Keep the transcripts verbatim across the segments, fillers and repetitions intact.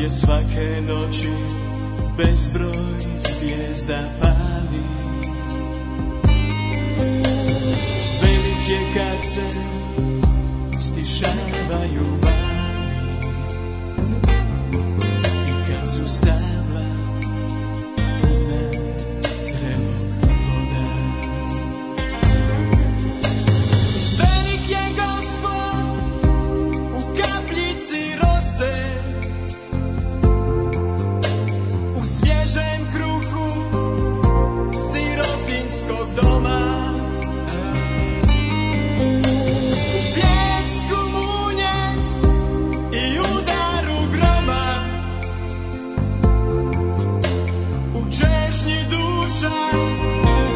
Svake noći bezbroj zvijezda pali. Velik je kad se stišavaju vali i kad su stabla puna zrelog voda. Velik je Gospod u kapljici rose, svježem kruhu sirotinskog doma, u bljesku munje i udaru groma, u čežnji duša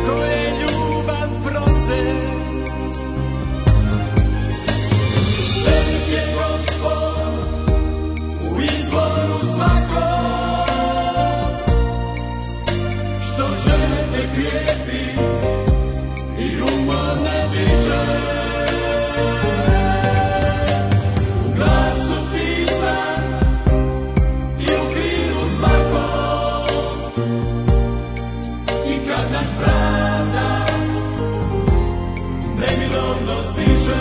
koje ljubav prose. Velik je Gospod u izvoru svakog, krijepi i umorne diže. U glasu pisan i u krilu svakog, i kad nas pravda neminovno stiže.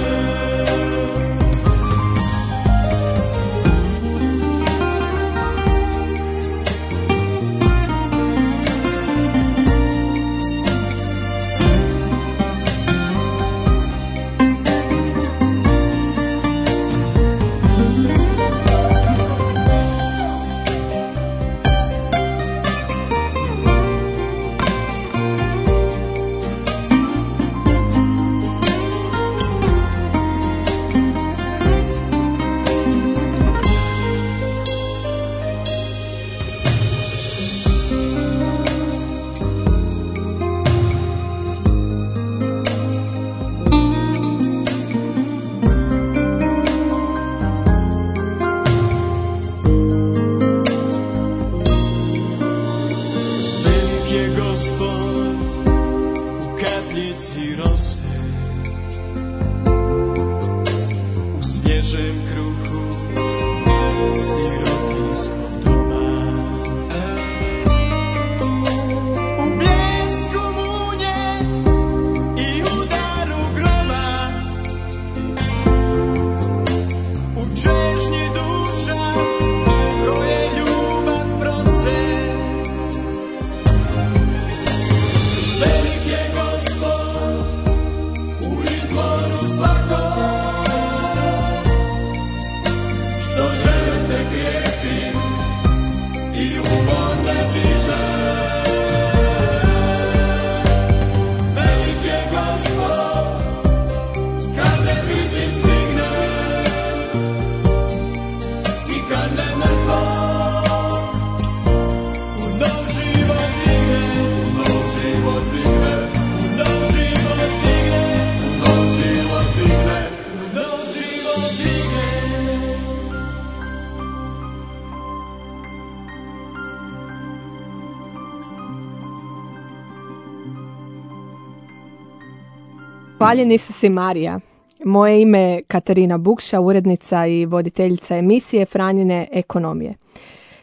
Hvaljen Isus i Marija. Moje ime je Katarina Bukša, urednica i voditeljica emisije Franjine ekonomije.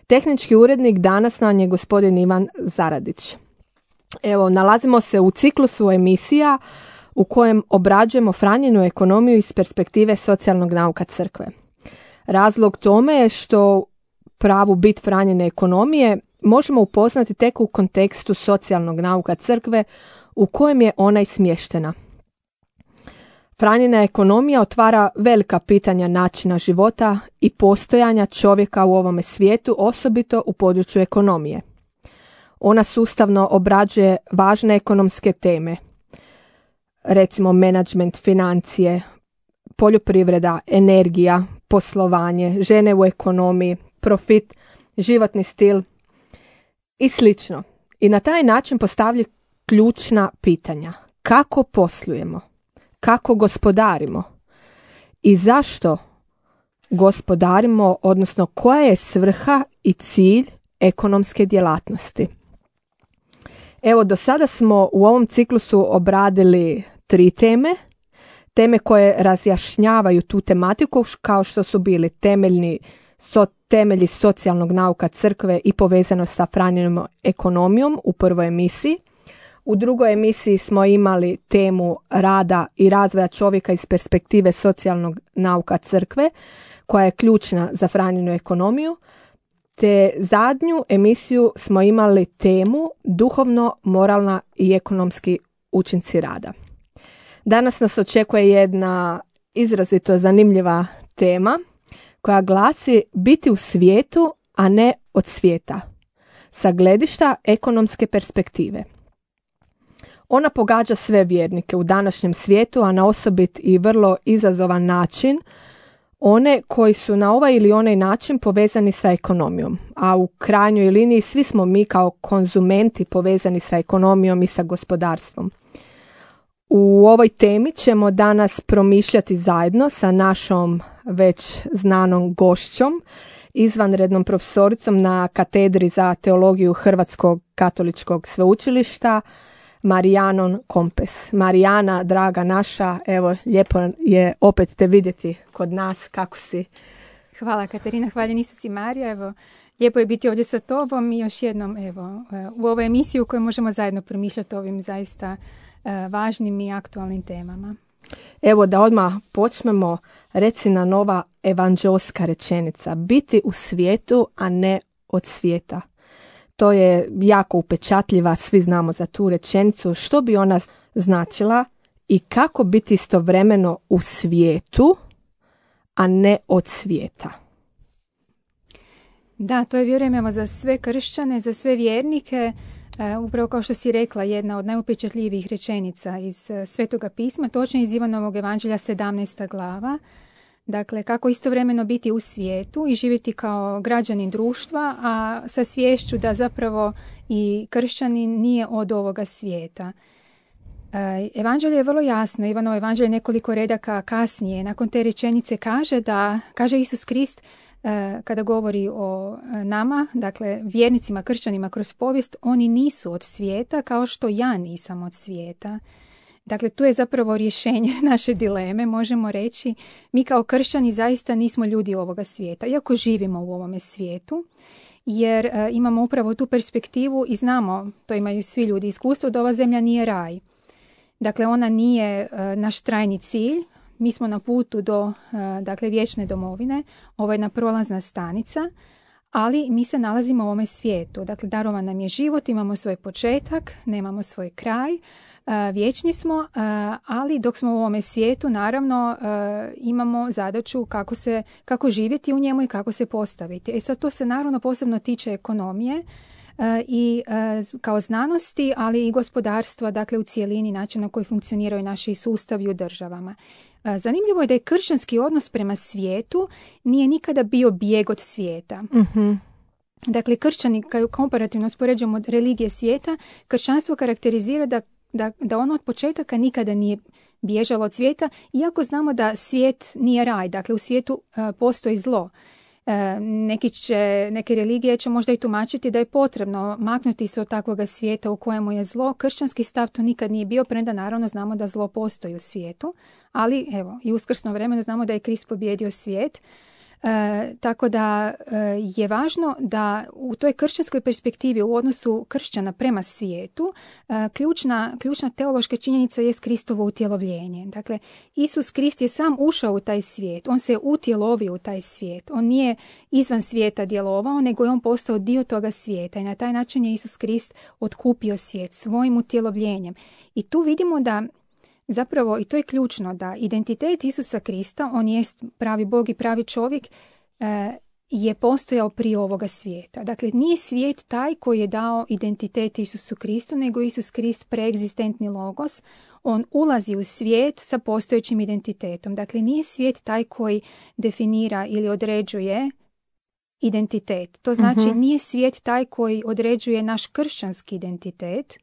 Tehnički urednik danas nam je gospodin Ivan Zaradić. Evo, nalazimo se u ciklusu emisija u kojem obrađujemo Franjinu ekonomiju iz perspektive socijalnog nauka crkve. Razlog tome je što pravu bit Franjine ekonomije možemo upoznati tek u kontekstu socijalnog nauka crkve u kojem je ona i smještena. Franjina ekonomija otvara velika pitanja načina života i postojanja čovjeka u ovome svijetu, osobito u području ekonomije. Ona sustavno obrađuje važne ekonomske teme, recimo menadžment, financije, poljoprivreda, energija, poslovanje, žene u ekonomiji, profit, životni stil i slično. I na taj način postavlja ključna pitanja. Kako poslujemo? Kako gospodarimo? I zašto gospodarimo, odnosno koja je svrha i cilj ekonomske djelatnosti? Evo, do sada smo u ovom ciklusu obradili tri teme. Teme koje razjašnjavaju tu tematiku, kao što su bili temeljni so, temelji socijalnog nauka crkve i povezano sa Franjinom ekonomijom u prvoj emisiji. U drugoj emisiji smo imali temu rada i razvoja čovjeka iz perspektive socijalnog nauka crkve, koja je ključna za Franjinu ekonomiju. Te zadnju emisiju smo imali temu duhovno, moralna i ekonomski učinci rada. Danas nas očekuje jedna izrazito zanimljiva tema koja glasi biti u svijetu, a ne od svijeta, sa gledišta ekonomske perspektive. Ona pogađa sve vjernike u današnjem svijetu, a na osobit i vrlo izazovan način one koji su na ovaj ili onaj način povezani sa ekonomijom, a u krajnjoj liniji svi smo mi kao konzumenti povezani sa ekonomijom i sa gospodarstvom. U ovoj temi ćemo danas promišljati zajedno sa našom već znanom gošćom, izvanrednom profesoricom na katedri za teologiju Hrvatskog katoličkog sveučilišta, Marijanom Kompes. Marijana, draga naša, evo, lijepo je opet te vidjeti kod nas. Kako si? Hvala Katarina, hvala si Marija. Evo, lijepo je biti ovdje sa tobom i još jednom evo, u ovoj emisiji u kojoj možemo zajedno promišljati o ovim zaista važnim i aktualnim temama. Evo da odmah počnemo, reci na nova evanđelska rečenica. Biti u svijetu, a ne od svijeta. To je jako upečatljiva, svi znamo za tu rečenicu. Što bi ona značila i kako biti istovremeno u svijetu, a ne od svijeta? Da, to je, vjerujem, evo, za sve kršćane, za sve vjernike, Uh, upravo kao što si rekla, jedna od najupečatljivijih rečenica iz uh, Svetoga pisma, točno iz Ivanovog evanđelja sedamnaesta glava. Dakle, kako istovremeno biti u svijetu i živjeti kao građanin društva, a sa sviješću da zapravo i kršćanin nije od ovoga svijeta. Uh, evanđelje je vrlo jasno. Ivanovo evanđelje nekoliko redaka kasnije, nakon te rečenice kaže da, kaže Isus Krist, kada govori o nama, dakle vjernicima, kršćanima kroz povijest, oni nisu od svijeta kao što ja nisam od svijeta. Dakle, tu je zapravo rješenje naše dileme, možemo reći. Mi kao kršćani zaista nismo ljudi ovoga svijeta, iako živimo u ovome svijetu, jer e, imamo upravo tu perspektivu i znamo, to imaju svi ljudi, iskustvo da ova zemlja nije raj. Dakle, ona nije e, naš trajni cilj. Mi smo na putu do dakle, vječne domovine, ovo je jedna prolazna stanica, ali mi se nalazimo u ovome svijetu. Dakle, darovan nam je život, imamo svoj početak, nemamo svoj kraj, vječni smo, ali dok smo u ovome svijetu, naravno, imamo zadaću kako, se, kako živjeti u njemu i kako se postaviti. E sad, to se naravno posebno tiče ekonomije, i kao znanosti, ali i gospodarstva, dakle u cijelini, način na koji funkcioniraju naši sustavi u državama. Zanimljivo je da je kršćanski odnos prema svijetu nije nikada bio bijeg od svijeta. Mm-hmm. Dakle, kršćani, kao komparativno uspoređujemo religije svijeta, kršćanstvo karakterizira da, da, da ono od početaka nikada nije bježalo od svijeta, iako znamo da svijet nije raj, dakle u svijetu uh, postoji zlo. Neki će, neke religije će možda i tumačiti da je potrebno maknuti se od takvoga svijeta u kojemu je zlo. Kršćanski stav to nikad nije bio, premda naravno znamo da zlo postoji u svijetu, ali evo, i u uskrsno vremenu znamo da je Krist pobijedio svijet. E, tako da e, je važno da u toj kršćanskoj perspektivi u odnosu kršćana prema svijetu e, ključna, ključna teološka činjenica je Kristovo utjelovljenje. Dakle, Isus Krist je sam ušao u taj svijet, on se utjelovio u taj svijet, on nije izvan svijeta djelovao, nego je on postao dio toga svijeta i na taj način je Isus Krist otkupio svijet svojim utjelovljenjem. I tu vidimo da zapravo, i to je ključno, da identitet Isusa Krista, on jest pravi Bog i pravi čovjek, e, je postojao prije ovoga svijeta. Dakle, nije svijet taj koji je dao identitet Isusu Kristu, nego Isus Krist preegzistentni logos. On ulazi u svijet sa postojećim identitetom. Dakle, nije svijet taj koji definira ili određuje identitet. To znači uh-huh. nije svijet taj koji određuje naš kršćanski identitet,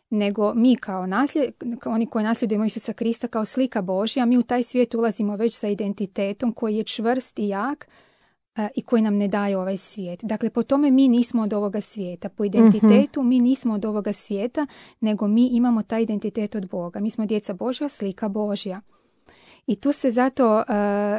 nego mi kao nasljed, oni koji nasljedujemo Isusa Krista kao slika Božja, mi u taj svijet ulazimo već sa identitetom koji je čvrst i jak uh, i koji nam ne daje ovaj svijet. Dakle, po tome mi nismo od ovoga svijeta. Po identitetu uh-huh. mi nismo od ovoga svijeta, nego mi imamo taj identitet od Boga. Mi smo djeca Božja, slika Božja. I tu se zato, uh,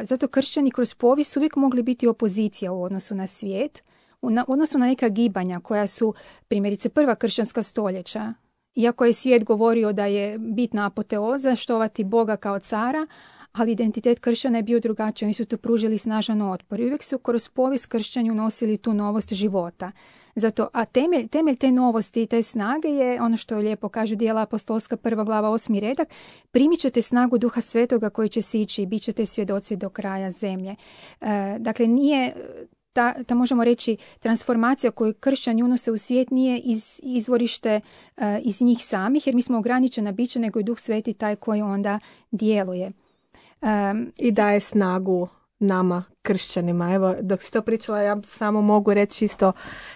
zato kršćani kroz povijest uvijek mogli biti opozicija u odnosu na svijet, u, na, u odnosu na neka gibanja koja su, primjerice, prva kršćanska stoljeća. Iako je svijet govorio da je bitna apoteoza, štovati Boga kao cara, ali identitet kršćana je bio drugačiji. Oni su tu pružili snažan otpor. I uvijek su kroz povijest kršćanju nosili tu novost života. Zato, a temelj, temelj te novosti i te snage je ono što lijepo kažu Djela apostolska prva glava osmi redak. Primit ćete snagu Duha Svetoga koji će sići i bit ćete svjedoci do kraja zemlje. E, dakle, nije... Ta, ta možemo reći transformacija koju kršćani unose u svijet nije iz, izvorište uh, iz njih samih, jer mi smo ograničena bića, nego je Duh Sveti taj koji onda djeluje. Um, I daje snagu nama, kršćanima. Evo, dok si to pričala, ja samo mogu reći isto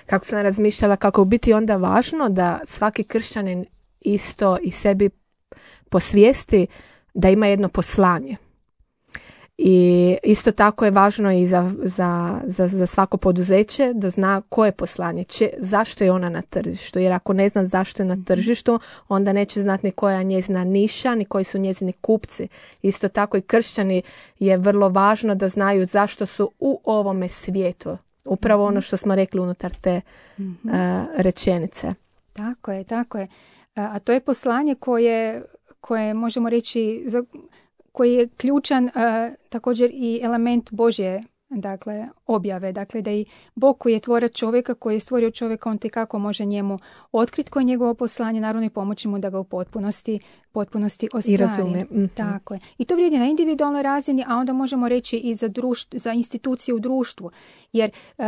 kako sam razmišljala, kako u biti onda važno da svaki kršćanin isto i sebi posvijesti da ima jedno poslanje. I isto tako je važno i za, za, za, za svako poduzeće da zna koje je poslanje, če, zašto je ona na tržištu. Jer ako ne zna zašto je na tržištu, onda neće znati ni koja je njezina niša, ni koji su njezini kupci. Isto tako i kršćani je vrlo važno da znaju zašto su u ovome svijetu. Upravo ono što smo rekli unutar te mm-hmm. uh, rečenice. Tako je, tako je. A to je poslanje koje, koje možemo reći... za koji je ključan uh, također i element Božje, dakle, objave. Dakle, da i Bog koji je tvorac čovjeka, koji je stvorio čovjeka, on te kako može njemu otkriti koje je njegovo poslanje, naravno i pomoći mu da ga u potpunosti, potpunosti ostvari. I razumije. Mm-hmm. Tako je. I to vrijedi na individualnoj razini, a onda možemo reći i za, društvo, za institucije u društvu. Jer uh,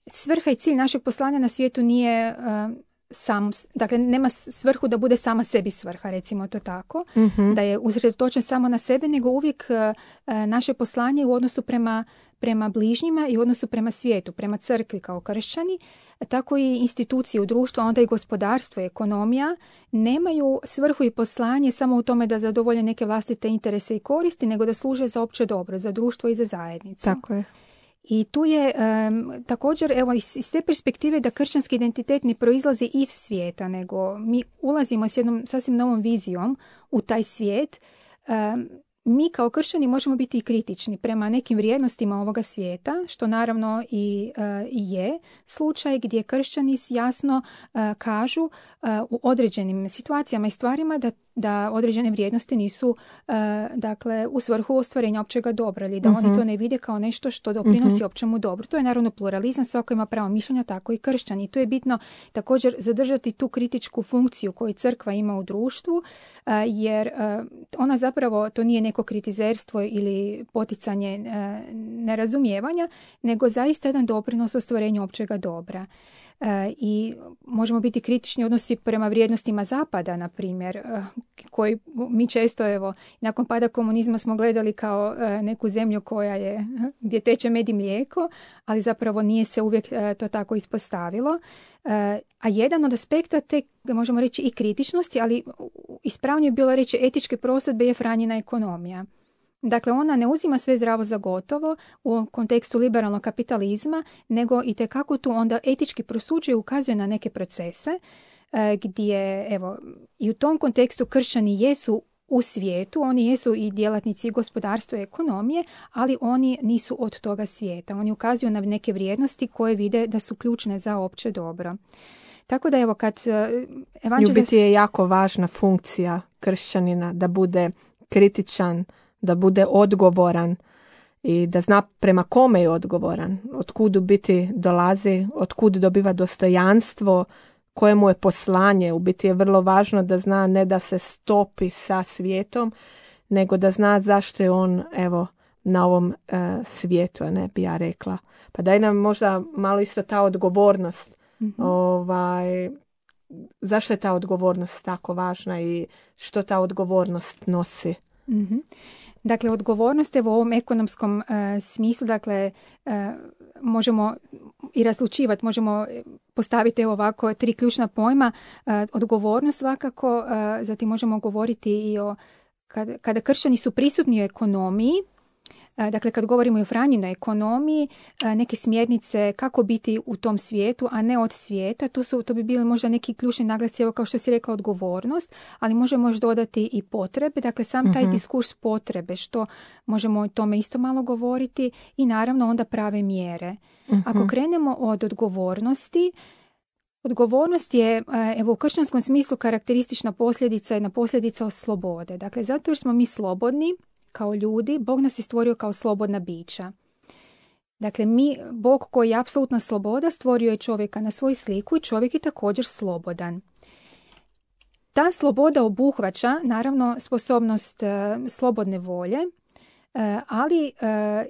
svrha i cilj našeg poslanja na svijetu nije... Uh, sam, dakle nema svrhu da bude sama sebi svrha, recimo to tako, mm-hmm. da je usredotočen samo na sebe, nego uvijek uh, naše poslanje u odnosu prema, prema bližnjima i u odnosu prema svijetu, prema crkvi kao kršćani, tako i institucije u društvu, a onda i gospodarstvo i ekonomija nemaju svrhu i poslanje samo u tome da zadovolje neke vlastite interese i koristi, nego da služe za opće dobro, za društvo i za zajednicu. Tako je. I tu je um, također, evo, iz, iz te perspektive da kršćanski identitet ne proizlazi iz svijeta, nego mi ulazimo s jednom sasvim novom vizijom u taj svijet. Um, mi kao kršćani možemo biti i kritični prema nekim vrijednostima ovoga svijeta, što naravno i uh, je slučaj gdje kršćani jasno uh, kažu uh, u određenim situacijama i stvarima da da određene vrijednosti nisu uh, dakle u svrhu ostvarenja općega dobra ili da uh-huh. oni to ne vide kao nešto što doprinosi uh-huh. općemu dobru. To je naravno pluralizam, svako ima pravo mišljenja, tako i kršćani. I tu je bitno također zadržati tu kritičku funkciju koju crkva ima u društvu, uh, jer uh, ona zapravo, to nije neko kritizerstvo ili poticanje uh, nerazumijevanja, nego zaista jedan doprinos ostvarenju općega dobra. Uh, i možemo biti kritični odnosi prema vrijednostima Zapada, na primjer, uh, koji mi često, evo, nakon pada komunizma smo gledali kao uh, neku zemlju koja je, gdje teče med i mlijeko, ali zapravo nije se uvijek uh, to tako ispostavilo. Uh, a jedan od aspekta te, možemo reći, i kritičnosti, ali ispravnije bi bilo reći etičke prosudbe je Franjina ekonomija. Dakle, ona ne uzima sve zdravo za gotovo u kontekstu liberalnog kapitalizma, nego i tekako tu onda etički prosuđuje, ukazuje na neke procese e, gdje, evo, i u tom kontekstu kršćani jesu u svijetu, oni jesu i djelatnici gospodarstva i ekonomije, ali oni nisu od toga svijeta. Oni ukazuju na neke vrijednosti koje vide da su ključne za opće dobro. Tako da, evo, kad evanđelje... U biti je jako važna funkcija kršćanina da bude kritičan, da bude odgovoran i da zna prema kome je odgovoran, od kud u biti dolazi, od kud dobiva dostojanstvo, koje mu je poslanje. U biti je vrlo važno da zna ne da se stopi sa svijetom, nego da zna zašto je on, evo, na ovom e, svijetu, ne bi ja rekla. Pa daj nam možda malo isto ta odgovornost. Mm-hmm. Ovaj, zašto je ta odgovornost tako važna i što ta odgovornost nosi? Mm-hmm. Dakle, odgovornost je u ovom ekonomskom uh, smislu, dakle, uh, možemo i razlučivati, možemo postaviti evo ovako tri ključna pojma. Uh, odgovornost svakako, uh, zatim možemo govoriti i o kada, kada kršćani su prisutni u ekonomiji, dakle, kad govorimo o Franjinoj ekonomiji, neke smjernice kako biti u tom svijetu, a ne od svijeta, to, su, to bi bili možda neki ključni naglasci, evo kao što si rekla, odgovornost, ali možemo još dodati i potrebe, dakle, sam taj uh-huh. diskurs potrebe, što možemo o tome isto malo govoriti i naravno onda prave mjere. Uh-huh. Ako krenemo od odgovornosti, odgovornost je, evo, u kršćanskom smislu karakteristična posljedica, jedna posljedica od slobode. Dakle, zato jer smo mi slobodni, kao ljudi, Bog nas je stvorio kao slobodna bića. Dakle, mi, Bog koji je apsolutna sloboda, stvorio je čovjeka na svoju sliku i čovjek je također slobodan. Ta sloboda obuhvaća, naravno, sposobnost e, slobodne volje, e, ali e,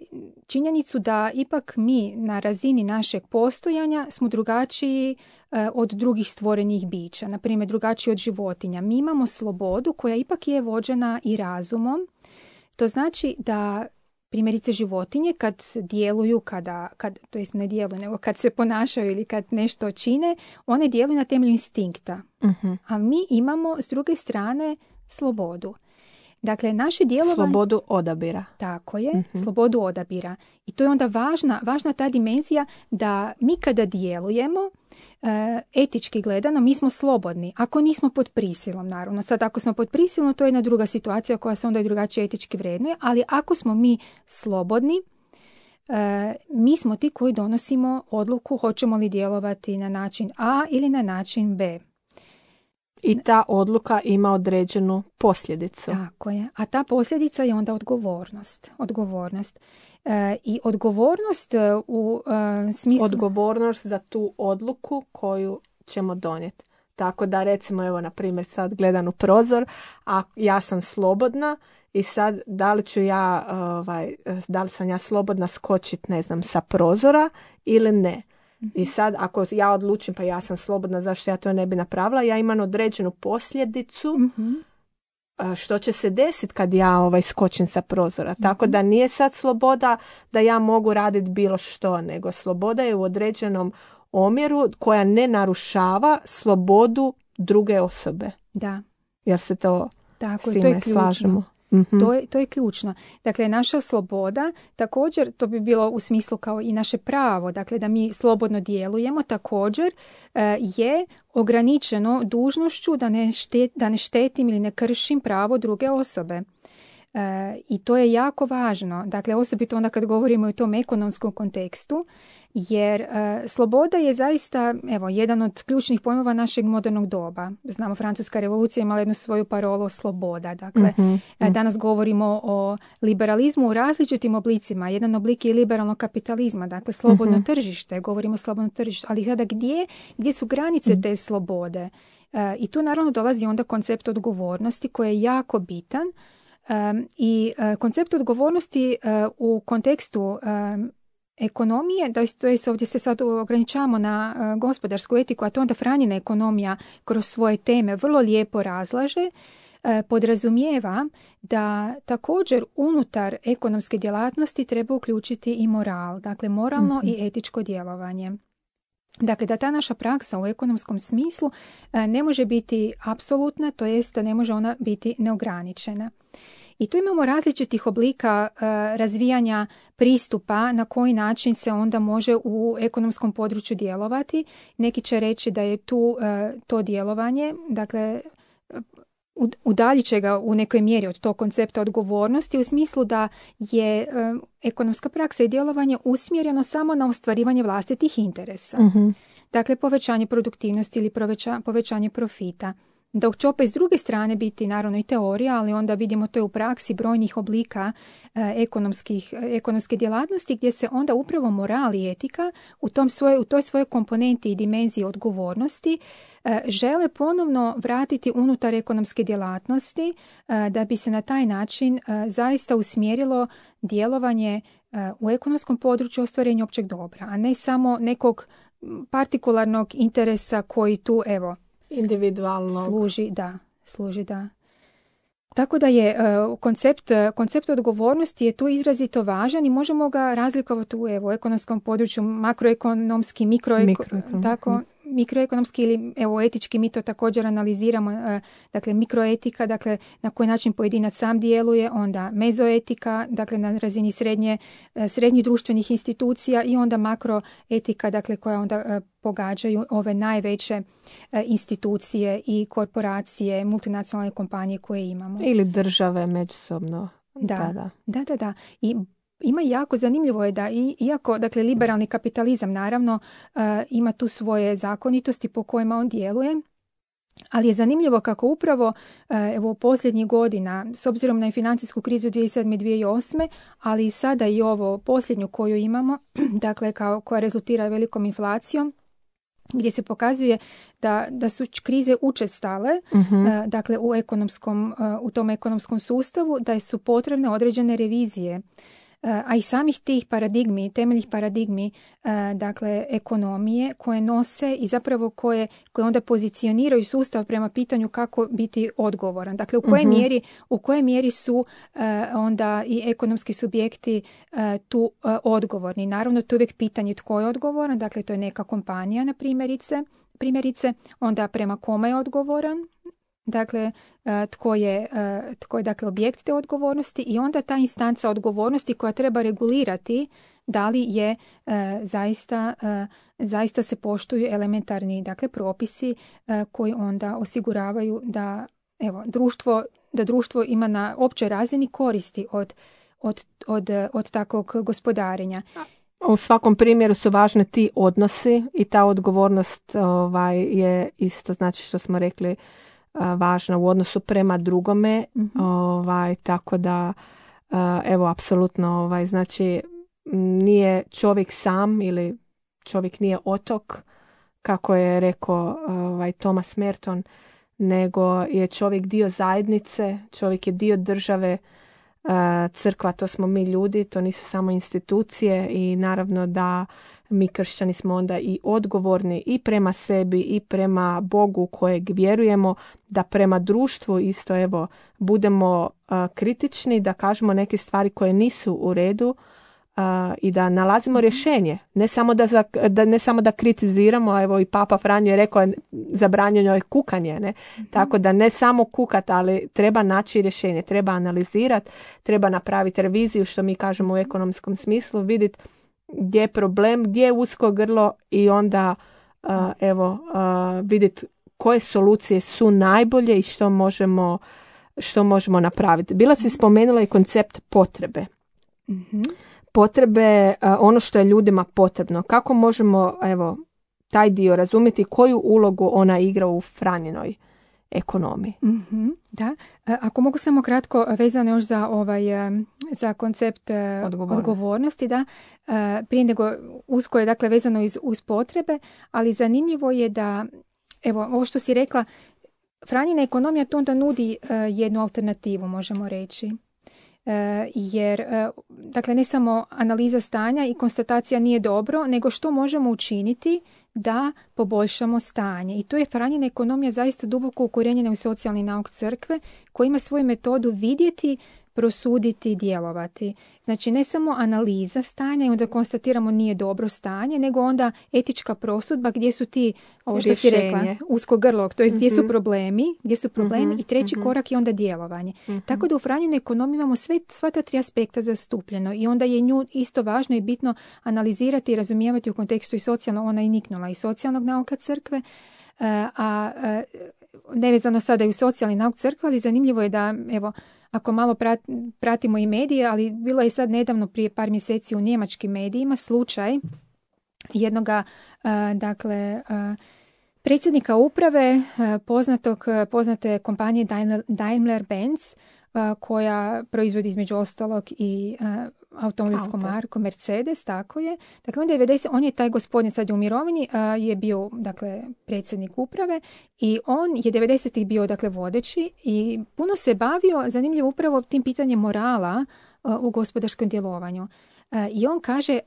činjenicu da ipak mi na razini našeg postojanja smo drugačiji e, od drugih stvorenih bića, na primjer drugačiji od životinja. Mi imamo slobodu koja ipak je vođena i razumom. To znači da primjerice životinje kad djeluju, kada, kad, to jest ne djeluju, nego kad se ponašaju ili kad nešto čine, one djeluju na temelju instinkta. Uh-huh. A mi imamo s druge strane slobodu. Dakle, naše djelovanje... Slobodu odabira. Tako je, uh-huh. slobodu odabira. I to je onda važna, važna ta dimenzija da mi kada djelujemo, etički gledano, mi smo slobodni. Ako nismo pod prisilom, naravno. Sad, ako smo pod prisilom, to je jedna druga situacija koja se onda i drugačije etički vrednuje, ali ako smo mi slobodni, mi smo ti koji donosimo odluku hoćemo li djelovati na način A ili na način B. I ta odluka ima određenu posljedicu. Tako je. A ta posljedica je onda odgovornost. Odgovornost. E, I odgovornost u e, smislu... Odgovornost za tu odluku koju ćemo donijeti. Tako da recimo, evo, na primjer, sad gledam u prozor, a ja sam slobodna i sad da li ću ja, ovaj, da li sam ja slobodna skočiti, ne znam, sa prozora ili ne. I sad ako ja odlučim pa ja sam slobodna, zašto ja to ne bi napravila, ja imam određenu posljedicu mm-hmm. što će se desiti kad ja ovaj, skočim sa prozora. Mm-hmm. Tako da nije sad sloboda da ja mogu raditi bilo što, nego sloboda je u određenom omjeru koja ne narušava slobodu druge osobe. Da. Jer se to Tako, s time to slažemo. Mm-hmm. To je, to je ključno. Dakle, naša sloboda, također, to bi bilo u smislu kao i naše pravo, dakle da mi slobodno djelujemo, također e, je ograničeno dužnošću da ne, štet, da ne štetim ili ne kršim pravo druge osobe. E, I to je jako važno. Dakle, osobito onda kad govorimo o tom ekonomskom kontekstu, jer e, sloboda je zaista, evo, jedan od ključnih pojmova našeg modernog doba. Znamo, Francuska revolucija imala jednu svoju parolu sloboda. Dakle, mm-hmm. e, danas govorimo o liberalizmu u različitim oblicima. Jedan oblik je liberalnog kapitalizma, dakle, slobodno mm-hmm. tržište. Govorimo o slobodnom tržištu. Ali sada gdje, gdje su granice mm-hmm. te slobode? E, I tu naravno dolazi onda koncept odgovornosti koji je jako bitan. E, I e, koncept odgovornosti e, u kontekstu e, ekonomije, da se ovdje se sad ograničavamo na uh, gospodarsku etiku, a to onda Franjina ekonomija kroz svoje teme vrlo lijepo razlaže, uh, podrazumijeva da također unutar ekonomske djelatnosti treba uključiti i moral, dakle moralno mm-hmm. i etičko djelovanje. Dakle, da ta naša praksa u ekonomskom smislu uh, ne može biti apsolutna, to jest da ne može ona biti neograničena. I tu imamo različitih oblika uh, razvijanja pristupa na koji način se onda može u ekonomskom području djelovati. Neki će reći da je tu uh, to djelovanje, dakle, udaljit će ga u nekoj mjeri od tog koncepta odgovornosti u smislu da je uh, ekonomska praksa i djelovanje usmjereno samo na ostvarivanje vlastitih interesa. Mm-hmm. Dakle, povećanje produktivnosti ili poveća, povećanje profita. Dok će opet s druge strane biti naravno i teorija, ali onda vidimo to je u praksi brojnih oblika e, ekonomskih, ekonomske djelatnosti gdje se onda upravo moral i etika u, tom svoje, u toj svojoj komponenti i dimenziji odgovornosti e, žele ponovno vratiti unutar ekonomske djelatnosti e, da bi se na taj način e, zaista usmjerilo djelovanje e, u ekonomskom području ostvarenja općeg dobra, a ne samo nekog partikularnog interesa koji tu, evo, individualno služi, da, služi, da. Tako da je uh, koncept, koncept odgovornosti je tu izrazito važan i možemo ga razlikovati u evo, ekonomskom području, makroekonomski, mikroeko, Mikroekonom. tako, mikroekonomski ili evo, etički, mi to također analiziramo, uh, dakle mikroetika, dakle na koji način pojedinac sam djeluje, onda mezoetika, dakle na razini srednje, uh, srednjih društvenih institucija i onda makroetika, dakle koja onda uh, pogađaju ove najveće uh, institucije i korporacije, multinacionalne kompanije koje imamo. ili države međusobno. Da, da, da. da, da, da. I ima jako zanimljivo je da i, iako, dakle, liberalni kapitalizam naravno uh, ima tu svoje zakonitosti po kojima on djeluje, ali je zanimljivo kako upravo uh, evo u posljednjih godina, s obzirom na financijsku krizu dvije tisuće sedme i dvije tisuće osme, ali i sada i ovo posljednju koju imamo, dakle kao, koja rezultira velikom inflacijom, gdje se pokazuje da, da su krize učestale, Mhm. uh, dakle u ekonomskom, uh, u tom ekonomskom sustavu, da su potrebne određene revizije. Uh, a i samih tih paradigmi, temeljnih paradigmi, uh, dakle ekonomije koje nose i zapravo koje, koje onda pozicioniraju sustav prema pitanju kako biti odgovoran. Dakle, u kojoj Mhm. mjeri, u kojoj mjeri su uh, onda i ekonomski subjekti uh, tu uh, odgovorni. Naravno, to je uvijek pitanje tko je odgovoran, dakle to je neka kompanija, na primjerice, primjerice, onda prema kome je odgovoran, dakle uh, tko je, uh, tko je dakle objekt te odgovornosti i onda ta instanca odgovornosti koja treba regulirati da li je uh, zaista, uh, zaista se poštuju elementarni dakle propisi uh, koji onda osiguravaju da evo društvo, da društvo ima na općoj razini koristi od, od, od, od takvog gospodarenja. U svakom primjeru su važni ti odnosi i ta odgovornost ovaj, je isto, znači što smo rekli, važna u odnosu prema drugome, Mhm. ovaj, tako da evo, apsolutno, ovaj, znači nije čovjek sam ili čovjek nije otok, kako je rekao ovaj, Thomas Merton, nego je čovjek dio zajednice, čovjek je dio države, crkva, to smo mi ljudi, to nisu samo institucije i naravno da mi kršćani smo onda i odgovorni i prema sebi i prema Bogu kojeg vjerujemo, da prema društvu isto evo budemo uh, kritični, da kažemo neke stvari koje nisu u redu uh, i da nalazimo rješenje. Ne samo da, za, da, ne samo da kritiziramo, evo i Papa Franjo je rekao zabranjeno je kukanje, ne? Mm-hmm. Tako da ne samo kukat, ali treba naći rješenje, treba analizirati, treba napraviti reviziju, što mi kažemo u ekonomskom smislu, vidjeti gdje je problem, gdje je usko grlo i onda uh, evo uh, vidjeti koje solucije su najbolje i što možemo, što možemo napraviti. Bila si spomenula i koncept potrebe. Mhm. Potrebe, uh, ono što je ljudima potrebno. Kako možemo evo taj dio razumjeti, koju ulogu ona igra u Franjinoj ekonomiji? Mm-hmm, da. Ako mogu samo kratko vezano još za ovaj za koncept Odgovornost. odgovornosti, da. Prije nego usko je dakle vezano iz, uz potrebe, ali zanimljivo je da evo ovo što si rekla, Franjina ekonomija tu onda nudi uh, jednu alternativu, možemo reći. Uh, jer uh, dakle ne samo analiza stanja i konstatacija nije dobro, nego što možemo učiniti da poboljšamo stanje. I tu je Franjina ekonomija zaista duboko ukorijenjena u socijalni nauk crkve, koji ima svoju metodu vidjeti, prosuditi i djelovati. Znači ne samo analiza stanja i onda konstatiramo nije dobro stanje, nego onda etička prosudba gdje su ti, ovo što si rekla, usko grlo, to je gdje su problemi, gdje su problemi Mm-hmm. i treći Mm-hmm. korak je onda djelovanje. Mm-hmm. Tako da u Franjinoj ekonomiji imamo sve, sva ta tri aspekta zastupljeno i onda je nju isto važno i bitno analizirati i razumijevati u kontekstu i socijalno, ona je niknula i socijalnog nauka crkve, a, a nevezano sada i u socijalni nauk crkve, ali zanimljivo je da, evo, ako malo pratimo i medije, ali bilo je sad nedavno prije par mjeseci u njemačkim medijima slučaj jednoga, uh, dakle, uh, predsjednika uprave poznatog, poznate kompanije Daimler-Benz, koja proizvodi između ostalog i automobilsku marku Mercedes, tako je. Dakle, on, devedeset, on je taj gospodin, sad je u mirovini, je bio, dakle, predsjednik uprave i on je devedesetih bio, dakle, vodeći i puno se bavio, zanimljivo, upravo tim pitanjem morala u gospodarskom djelovanju. I on kaže,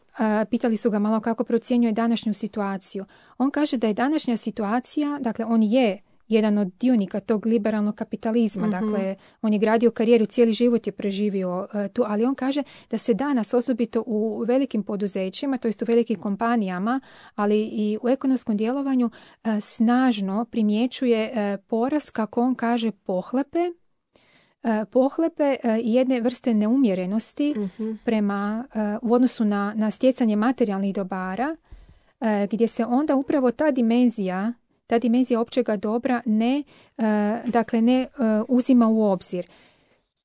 pitali su ga malo kako procjenjuje današnju situaciju. On kaže da je današnja situacija, dakle, on je jedan od dionika tog liberalnog kapitalizma. Mm-hmm. Dakle, on je gradio karijeru, cijeli život je preživio uh, tu, ali on kaže da se danas, osobito u velikim poduzećima, to jest u velikim kompanijama, ali i u ekonomskom djelovanju, uh, snažno primjećuje uh, porast, kako on kaže, pohlepe, uh, pohlepe uh, i jedne vrste neumjerenosti mm-hmm. prema, uh, u odnosu na, na stjecanje materijalnih dobara, uh, gdje se onda upravo ta dimenzija ta dimenzija općega dobra ne, uh, dakle, ne uh, uzima u obzir.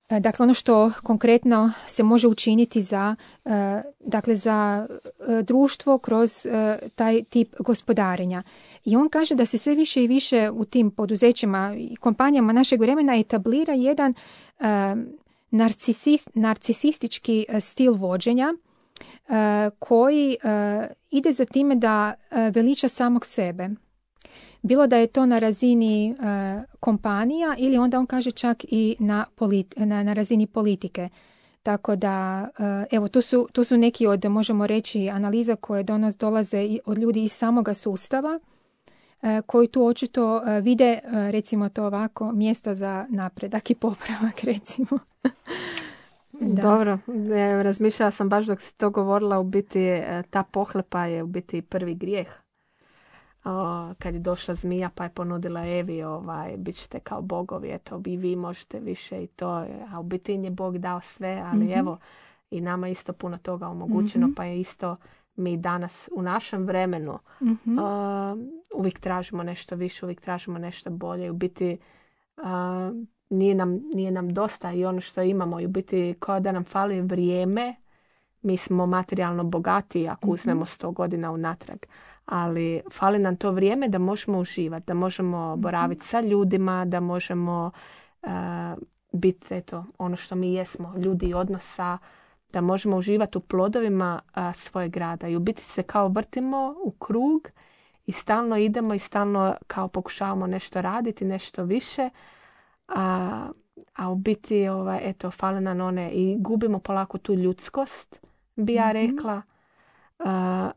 Uh, dakle, ono što konkretno se može učiniti za, uh, dakle, za uh, društvo kroz uh, taj tip gospodarenja. I on kaže da se sve više i više u tim poduzećima i kompanijama našeg vremena etablira jedan uh, narcisist, narcisistički uh, stil vođenja uh, koji uh, ide za time da uh, veliča samog sebe. Bilo da je to na razini uh, kompanija ili onda on kaže čak i na, politi- na, na razini politike. Tako da, uh, evo, tu su, tu su neki od, možemo reći, analiza koje do nas dolaze od ljudi iz samoga sustava, uh, koji tu očito uh, vide, uh, recimo to ovako, mjesta za napredak i popravak, recimo. Da. Dobro, e, razmišljala sam baš dok si to govorila, u biti ta pohlepa je u biti prvi grijeh. O, kad je došla zmija pa je ponudila Evi, ovaj, bit ćete kao bogovi, eto, i vi možete više i to, a u biti je Bog dao sve, ali mm-hmm. evo, i nama isto puno toga omogućeno, mm-hmm. pa je isto mi danas u našem vremenu mm-hmm. uh, uvijek tražimo nešto više, uvijek tražimo nešto bolje, u biti uh, nije, nam, nije nam dosta i ono što imamo, i u biti kao da nam fali vrijeme, mi smo materijalno bogati ako mm-hmm. uzmemo sto godina unatrag. Ali fali nam to vrijeme da možemo uživati, da možemo boraviti sa ljudima, da možemo uh, biti eto, ono što mi jesmo, ljudi odnosa, da možemo uživati u plodovima uh, svojeg rada. I u biti se kao vrtimo u krug i stalno idemo i stalno kao pokušavamo nešto raditi, nešto više. A, a u biti ovaj, eto, fali nam one i gubimo polako tu ljudskost, bi ja rekla. Uh,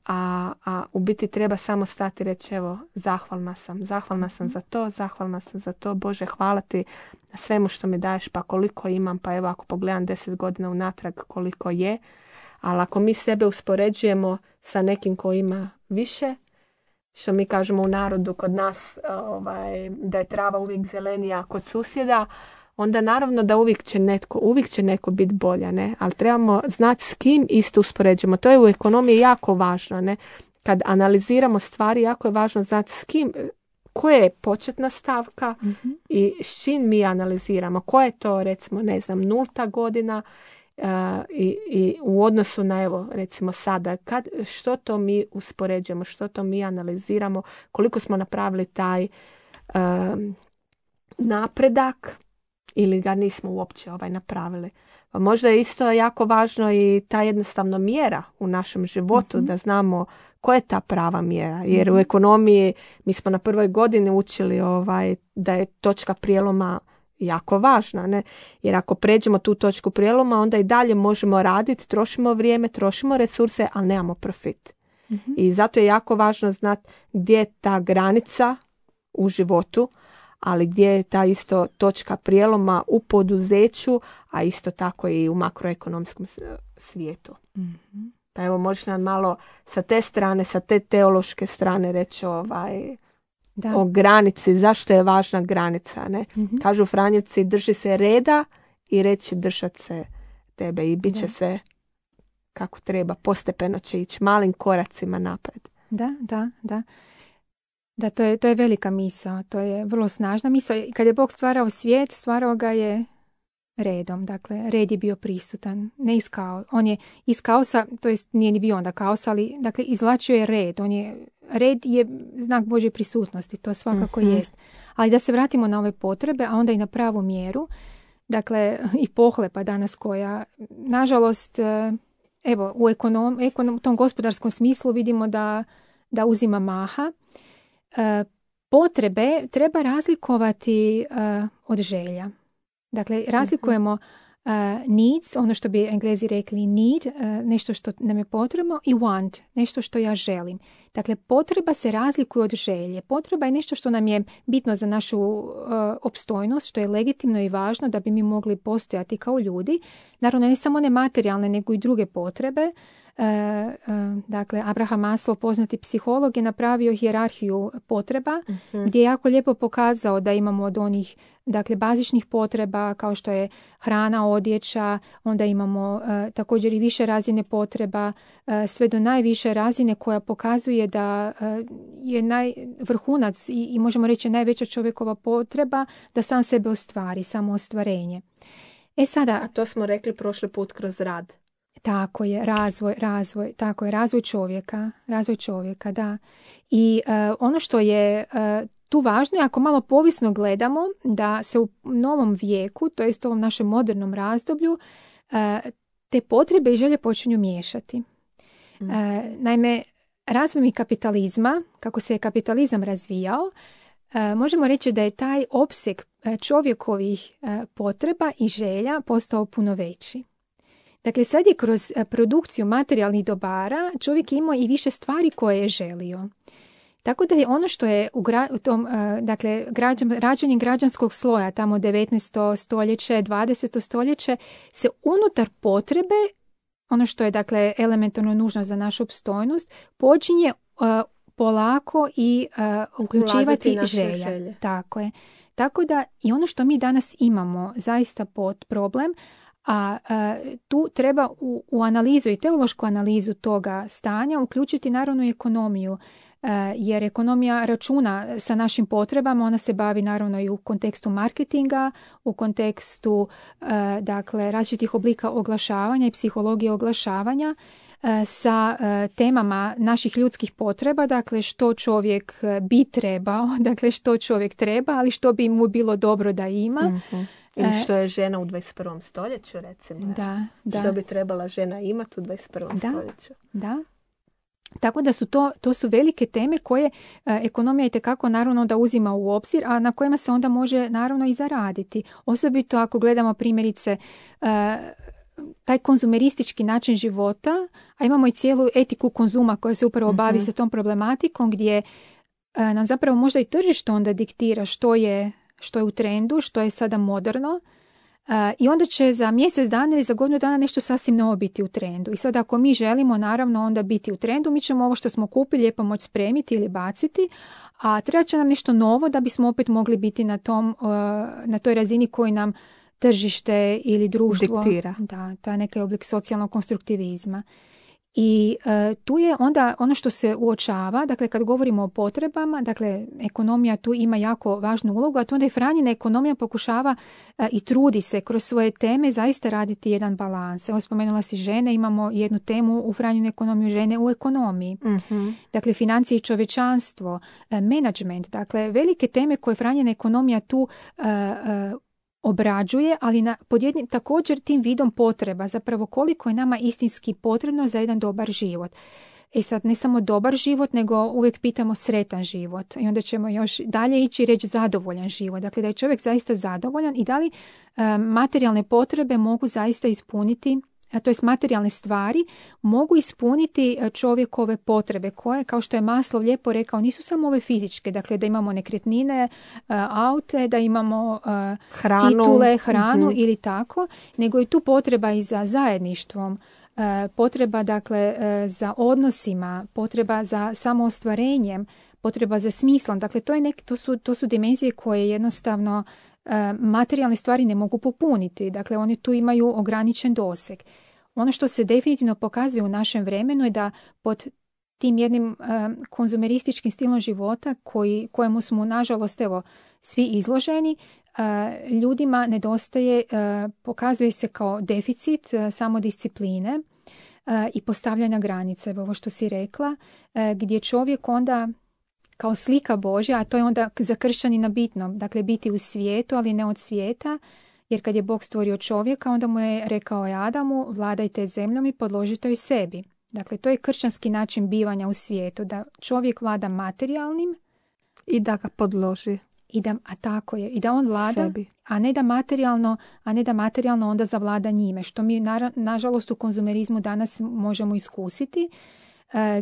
a, a u biti treba samo stati i reći, evo, zahvalna sam, zahvalna sam za to, zahvalna sam za to, Bože, hvala ti na svemu što mi daješ, pa koliko imam, pa evo, ako pogledam deset godina unatrag koliko je, ali ako mi sebe uspoređujemo sa nekim ko ima više, što mi kažemo u narodu kod nas, ovaj, da je trava uvijek zelenija kod susjeda, onda naravno da uvijek će netko, uvijek će neko biti bolja, ne? Ali trebamo znati s kim isto uspoređujemo. To je u ekonomiji jako važno, ne? Kad analiziramo stvari, jako je važno znati s kim, koja je početna stavka mm-hmm. i s čim mi analiziramo. Koja je to, recimo, ne znam, nulta godina uh, i, i u odnosu na, evo, recimo sada, kad, što to mi uspoređujemo, što to mi analiziramo, koliko smo napravili taj uh, napredak, ili ga nismo uopće ovaj napravili. Pa možda je isto jako važno i ta jednostavno mjera u našem životu, mm-hmm. da znamo koja je ta prava mjera. Jer mm-hmm. u ekonomiji mi smo na prvoj godini učili ovaj, da je točka prijeloma jako važna. Ne? Jer ako pređemo tu točku prijeloma, onda i dalje možemo raditi, trošimo vrijeme, trošimo resurse, ali nemamo profit. Mm-hmm. I zato je jako važno znati gdje je ta granica u životu, ali gdje je ta isto točka prijeloma u poduzeću, a isto tako i u makroekonomskom svijetu. Mm-hmm. Pa evo, možeš nam malo sa te strane, sa te teološke strane reći ovaj, o granici, zašto je važna granica. Ne? Mm-hmm. Kažu Franjevci, drži se reda i reći držat se tebe i bit će da. sve kako treba, postepeno će ići, malim koracima napred. Da, da, da. Da, to je, to je velika misao, to je vrlo snažna misao. Kad je Bog stvarao svijet, stvarao ga je redom. Dakle, red je bio prisutan. Ne iz kao, on je iz kaosa, to jest nije ni bio onda kaos, ali dakle, izvlačio je red. On je, red je znak Božje prisutnosti, to svakako mm-hmm. jest. Ali da se vratimo na ove potrebe, a onda i na pravu mjeru. Dakle, i pohlepa danas koja, nažalost, evo, u ekonom, ekonom, tom gospodarskom smislu vidimo da, da uzima maha. E, potrebe treba razlikovati uh, od želja. Dakle, razlikujemo uh, needs, ono što bi Englezi rekli need, uh, nešto što nam je potrebno, i want, nešto što ja želim. Dakle, potreba se razlikuje od želje. Potreba je nešto što nam je bitno za našu uh, opstojnost, što je legitimno i važno da bi mi mogli postojati kao ljudi. Naravno, ne samo one materijalne, nego i druge potrebe. E, e, dakle, Abraham Maslow, poznati psiholog, je napravio hijerarhiju potreba, uh-huh. gdje je jako lijepo pokazao da imamo od onih, dakle, bazičnih potreba kao što je hrana, odjeća, onda imamo e, također i više razine potreba, e, sve do najviše razine koja pokazuje da e, je naj, vrhunac i, i možemo reći najveća čovjekova potreba da sam sebe ostvari, samo ostvarenje. E sada, a to smo rekli prošli put kroz rad. Tako je, razvoj, razvoj, tako je, razvoj čovjeka, razvoj čovjeka, da. I uh, ono što je uh, tu važno je, ako malo povisno gledamo, da se u novom vijeku, to jest u ovom našem modernom razdoblju, uh, te potrebe i želje počinju miješati. Mm. Uh, naime, razvojem kapitalizma, kako se je kapitalizam razvijao, uh, možemo reći da je taj opseg čovjekovih uh, potreba i želja postao puno veći. Dakle, sad je kroz produkciju materijalnih dobara čovjek imao i više stvari koje je želio. Tako da je ono što je u, gra, u tom, dakle, građan, rađenjem građanskog sloja, tamo devetnaesto stoljeće, dvadeseto stoljeće, se unutar potrebe, ono što je, dakle, elementarno nužno za našu opstojnost, počinje uh, polako i uh, uključivati želja. Želje. Tako je. Tako da i ono što mi danas imamo zaista pod problem, a uh, tu treba u, u analizu i teološku analizu toga stanja uključiti naravno i ekonomiju, uh, jer ekonomija računa sa našim potrebama, ona se bavi naravno i u kontekstu marketinga, u kontekstu uh, dakle, različitih oblika oglašavanja i psihologije oglašavanja, uh, sa uh, temama naših ljudskih potreba, dakle što čovjek bi trebao, dakle što čovjek treba, ali što bi mu bilo dobro da ima. Mm-hmm. Ili što je žena u dvadeset prvom stoljeću, recimo. Da, da. Što bi trebala žena imati u dvadeset prvom da, stoljeću. Da. Tako da su to, to su velike teme koje e, ekonomija itekako naravno da uzima u obzir, a na kojima se onda može naravno i zaraditi. Osobito ako gledamo primjerice e, taj konzumeristički način života, a imamo i cijelu etiku konzuma koja se upravo bavi mm-hmm. sa tom problematikom, gdje e, nam zapravo možda i tržište onda diktira što je što je u trendu, što je sada moderno, uh, i onda će za mjesec dana ili za godinu dana nešto sasvim novo biti u trendu. I sad ako mi želimo naravno onda biti u trendu, mi ćemo ovo što smo kupili lijepo moći spremiti ili baciti, a treba će nam nešto novo da bismo opet mogli biti na, tom, uh, na toj razini koji nam tržište ili društvo diktira. Da, ta neki oblik socijalnog konstruktivizma. I e, tu je onda ono što se uočava, dakle kad govorimo o potrebama, dakle ekonomija tu ima jako važnu ulogu, a to onda i Franjina ekonomija pokušava e, i trudi se kroz svoje teme zaista raditi jedan balans. Evo spomenula si žene, imamo jednu temu u Franjinu ekonomiju, žene u ekonomiji. Mm-hmm. Dakle, financije i čovječanstvo, e, menadžment, dakle velike teme koje Franjina ekonomija tu e, e, obrađuje, ali na, pod jednim također tim vidom potreba, zapravo koliko je nama istinski potrebno za jedan dobar život. E sad, ne samo dobar život, nego uvijek pitamo sretan život. I onda ćemo još dalje ići i reći zadovoljan život. Dakle, da je čovjek zaista zadovoljan i da li e, materijalne potrebe mogu zaista ispuniti, a to jest materijalne stvari, mogu ispuniti čovjekove potrebe koje, kao što je Maslow lijepo rekao, nisu samo ove fizičke, dakle da imamo nekretnine, aute, da imamo hranu. titule, hranu mm-hmm. ili tako, nego je tu potreba i za zajedništvom, potreba dakle za odnosima, potreba za samoostvarenjem, potreba za smislom. Dakle, to, je nek, to, su, to su dimenzije koje jednostavno materijalne stvari ne mogu popuniti. Dakle, oni tu imaju ograničen doseg. Ono što se definitivno pokazuje u našem vremenu je da pod tim jednim uh, konzumerističkim stilom života koji, kojemu smo nažalost evo svi izloženi, uh, ljudima nedostaje, uh, pokazuje se kao deficit uh, samodiscipline uh, i postavljanja granice, ovo što si rekla, uh, gdje čovjek onda kao slika Božja, a to je onda za kršćanina bitno, dakle biti u svijetu, ali ne od svijeta, jer kad je Bog stvorio čovjeka, onda mu je rekao je Adamu, vladajte zemljom i podložite joj sebi. Dakle, to je kršćanski način bivanja u svijetu, da čovjek vlada materijalnim i da ga podloži. I da, a tako je, i da on vlada, sebi. a ne da materijalno, a ne da materijalno onda zavlada njime, što mi na, nažalost u konzumerizmu danas možemo iskusiti,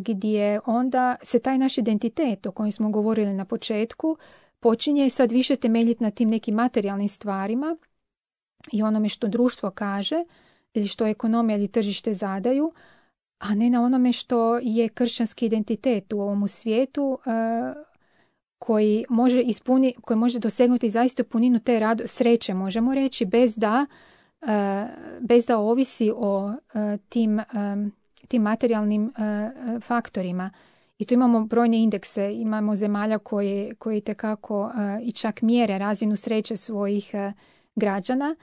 gdje onda se taj naš identitet o kojem smo govorili na početku počinje sad više temeljiti na tim nekim materijalnim stvarima i onome što društvo kaže ili što ekonomija ili tržište zadaju, a ne na onome što je kršćanski identitet u ovom svijetu koji može ispuni, koji može dosegnuti zaista puninu te rado, sreće, možemo reći, bez da, bez da ovisi o tim tim materijalnim uh, faktorima. I tu imamo brojne indekse, imamo zemalja koje, koje itekako uh, i čak mjere razinu sreće svojih uh, građana.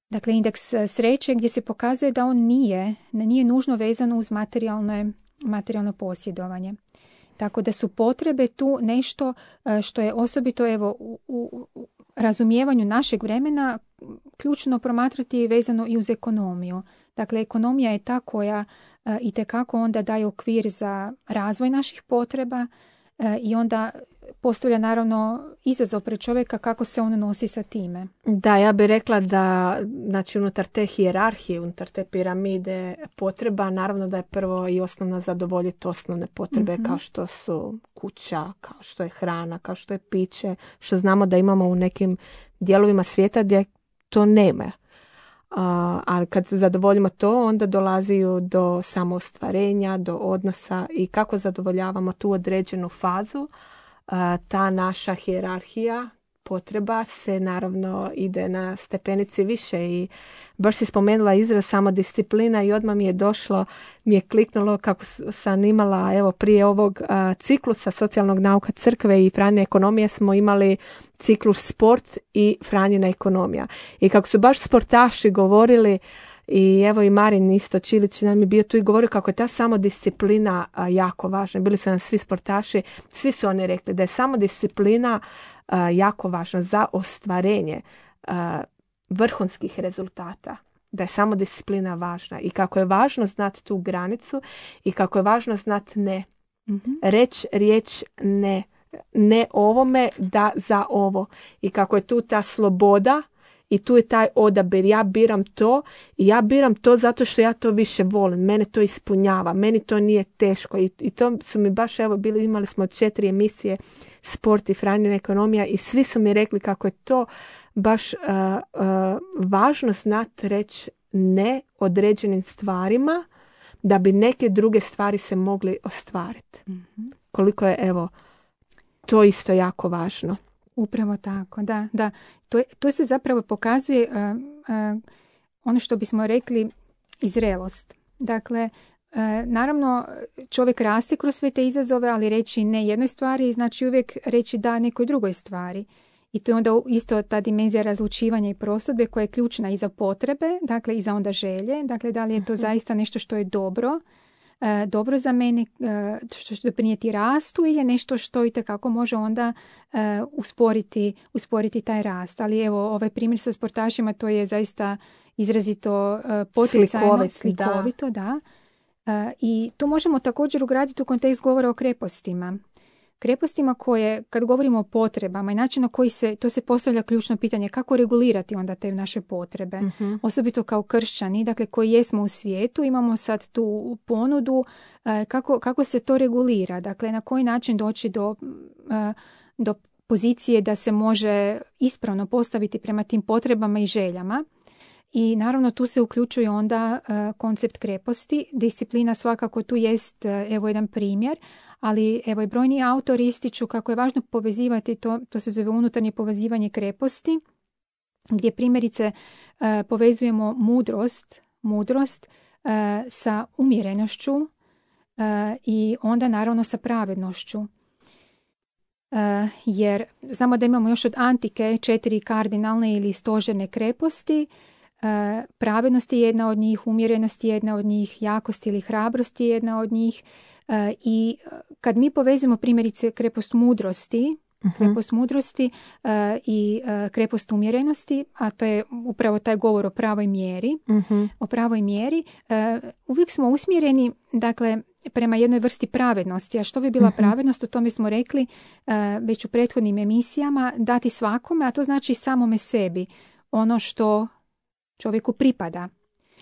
Dakle, indeks sreće gdje se pokazuje da on nije, nije nužno vezano uz materijalno, materijalno posjedovanje. Tako da su potrebe tu nešto uh, što je osobito evo, u, u, u razumijevanju našeg vremena ključno promatrati vezano i uz ekonomiju. Dakle, ekonomija je ta koja e, itekako onda daje okvir za razvoj naših potreba e, i onda postavlja naravno izazov pred čovjeka kako se on nosi sa time. Da, ja bih rekla da znači, unutar te hijerarhije, unutar te piramide potreba, naravno da je prvo i osnovno zadovoljiti osnovne potrebe mm-hmm. kao što su kuća, kao što je hrana, kao što je piće, što znamo da imamo u nekim dijelovima svijeta gdje to nema. Uh, ali kad zadovoljimo to, onda dolaziju do samoostvarenja, do odnosa i kako zadovoljavamo tu određenu fazu. Uh, ta naša hijerarhija potreba se naravno ide na stepenici više i baš si spomenula izraz samodisciplina i odmah mi je došlo, mi je kliknulo kako sam imala evo prije ovog uh, ciklusa socijalnog nauka crkve i Franjine ekonomije smo imali ciklus sport i Franjina ekonomija. I kako su baš sportaši govorili i evo i Marin isto Čilić nam je bio tu i govorio kako je ta samodisciplina uh, jako važna. Bili su nam svi sportaši, svi su oni rekli da je samodisciplina Uh, jako važno za ostvarenje uh, vrhunskih rezultata, da je samodisciplina važna i kako je važno znati tu granicu i kako je važno znati ne. Mm-hmm. Reći riječ ne. Ne ovome, da za ovo. I kako je tu ta sloboda i tu je taj odabir. Ja biram to i ja biram to zato što ja to više volim. Mene to ispunjava. Meni to nije teško. I, i to su mi baš, evo, bili, imali smo četiri emisije Sport i Franjina ekonomija i svi su mi rekli kako je to baš uh, uh, važno znati reći ne određenim stvarima da bi neke druge stvari se mogli ostvariti. Mm-hmm. Koliko je, evo, to isto jako važno. Upravo tako, da. da. To, to se zapravo pokazuje uh, uh, ono što bismo rekli i zrelost. Dakle, uh, naravno čovjek raste kroz sve te izazove, ali reći ne jednoj stvari znači uvijek reći da nekoj drugoj stvari. I to je onda isto ta dimenzija razlučivanja i prosudbe koja je ključna i za potrebe, dakle i za onda želje. Dakle, da li je to zaista nešto što je dobro, E, dobro za mene, e, što će doprinijeti rastu ili je nešto što itekako može onda e, usporiti, usporiti taj rast. Ali evo, ovaj primjer sa sportašima, to je zaista izrazito e, poticajno, Slikovit, slikovito. Da. Da. E, I tu možemo također ugraditi u kontekst govora o krepostima. Krepostima koje, kad govorimo o potrebama i način na koji se, to se postavlja ključno pitanje, kako regulirati onda te naše potrebe. Mm-hmm. Osobito kao kršćani, dakle koji jesmo u svijetu, imamo sad tu ponudu, eh, kako, kako se to regulira, dakle na koji način doći do, eh, do pozicije da se može ispravno postaviti prema tim potrebama i željama. I naravno tu se uključuje onda uh, koncept kreposti. Disciplina svakako tu jest, uh, evo jedan primjer, ali evo i brojni autori ističu kako je važno povezivati to, to se zove unutarnje povezivanje kreposti, gdje primjerice uh, povezujemo mudrost, mudrost uh, sa umjerenošću, uh, i onda naravno sa pravednošću. Uh, jer znamo da imamo još od antike četiri kardinalne ili stožerne kreposti. Uh, pravednost je jedna od njih, umjerenost je jedna od njih, jakost ili hrabrost je jedna od njih. Uh, I kad mi povezimo primjerice krepost mudrosti, uh-huh. krepost mudrosti uh, i uh, krepost umjerenosti, a to je upravo taj govor o pravoj mjeri, uh-huh. o pravoj mjeri, uh, uvijek smo usmjereni, dakle, prema jednoj vrsti pravednosti. A što bi bila uh-huh. pravednost? O tome smo rekli uh, već u prethodnim emisijama, dati svakome, a to znači samome sebi ono što čovjeku pripada.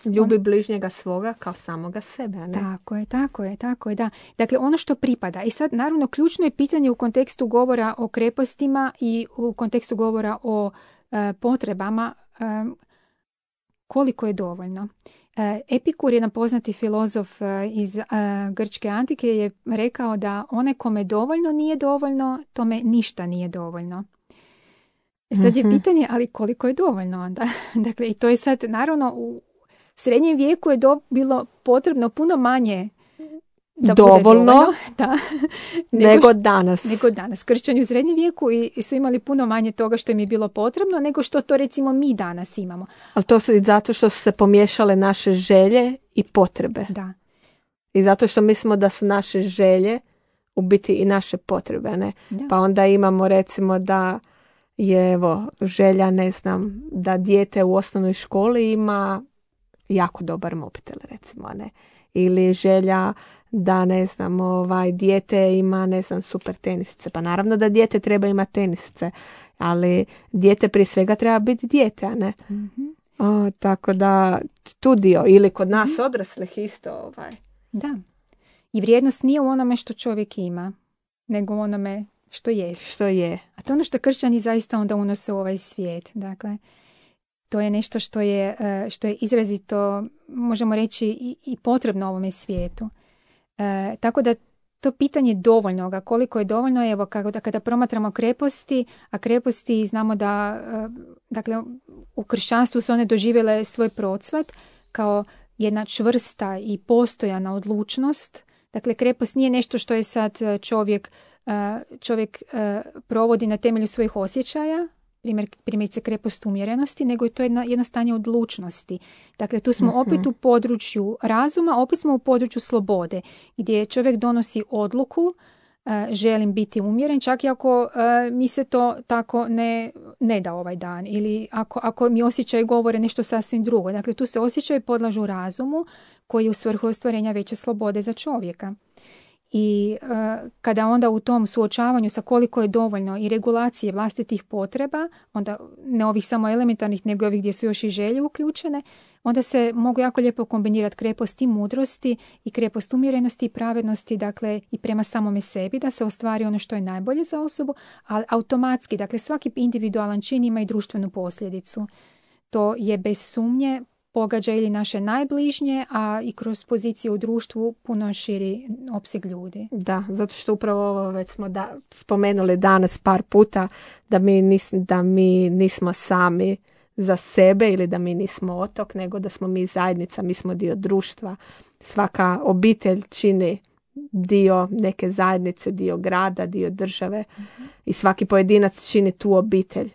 Ljubi On... bližnjega svoga kao samoga sebe, a ne? Tako je, tako je, tako je, da. Dakle, ono što pripada. I sad, naravno, ključno je pitanje u kontekstu govora o krepostima i u kontekstu govora o uh, potrebama um, koliko je dovoljno. Uh, Epikur, jedan poznati filozof uh, iz uh, grčke antike, je rekao da onaj kome dovoljno nije dovoljno, tome ništa nije dovoljno. Sad je pitanje, ali koliko je dovoljno onda? Dakle, i to je sad, naravno, u srednjem vijeku je do, bilo potrebno puno manje da dovoljno, bude dovoljno da, nego, nego danas. Nego danas. Kršćani u srednjem vijeku i, i su imali puno manje toga što im je bilo potrebno nego što to recimo mi danas imamo. Ali to su i zato što su se pomiješale naše želje i potrebe. Da. I zato što mislimo da su naše želje u biti i naše potrebe. Ne? Da. Pa onda imamo recimo da je evo, želja, ne znam, da dijete u osnovnoj školi ima jako dobar mobitel, recimo, ne. Ili želja da, ne znam, ovaj, dijete ima, ne znam, super tenisice. Pa naravno da dijete treba imati tenisice, ali dijete prije svega treba biti dijete, a ne. Mm-hmm. O, tako da tu dio, ili kod nas mm-hmm. odraslih isto. Ovaj. Da. I vrijednost nije u onome što čovjek ima, nego u onome što je. Što je. A to je ono što kršćani zaista onda unose u ovaj svijet. Dakle, to je nešto što je, što je izrazito, možemo reći, i, i potrebno ovome svijetu. E, tako da to pitanje dovoljnoga, koliko je dovoljno, evo kako da kada promatramo kreposti, a kreposti znamo da, dakle, u kršćanstvu su one doživjele svoj procvat kao jedna čvrsta i postojana odlučnost. Dakle, krepost nije nešto što je sad čovjek čovjek provodi na temelju svojih osjećaja, primjer, primjerice krepost umjerenosti, nego je to jedno, jedno stanje odlučnosti. Dakle, tu smo uh-huh. opet u području razuma, opet smo u području slobode, gdje čovjek donosi odluku, uh, želim biti umjeren, čak i ako uh, mi se to tako ne, ne da ovaj dan, ili ako, ako mi osjećaj govore nešto sasvim drugo. Dakle, tu se osjećaj podlažu razumu, koji je u svrhu ostvarenja veće slobode za čovjeka. I uh, kada onda u tom suočavanju sa koliko je dovoljno i regulacije vlastitih potreba, onda ne ovih samo elementarnih, nego ovih gdje su još i želje uključene, onda se mogu jako lijepo kombinirati krepost i mudrosti i krepost umjerenosti i pravednosti, dakle i prema samome sebi, da se ostvari ono što je najbolje za osobu, ali automatski, dakle svaki individualan čin ima i društvenu posljedicu. To je bez sumnje pogađa ili naše najbližnje, a i kroz poziciju u društvu puno širi opseg ljudi. Da, zato što upravo ovo već smo da, spomenuli danas par puta da mi, nis, da mi nismo sami za sebe ili da mi nismo otok, nego da smo mi zajednica, mi smo dio društva. Svaka obitelj čini dio neke zajednice, dio grada, dio države mm-hmm. i svaki pojedinac čini tu obitelj.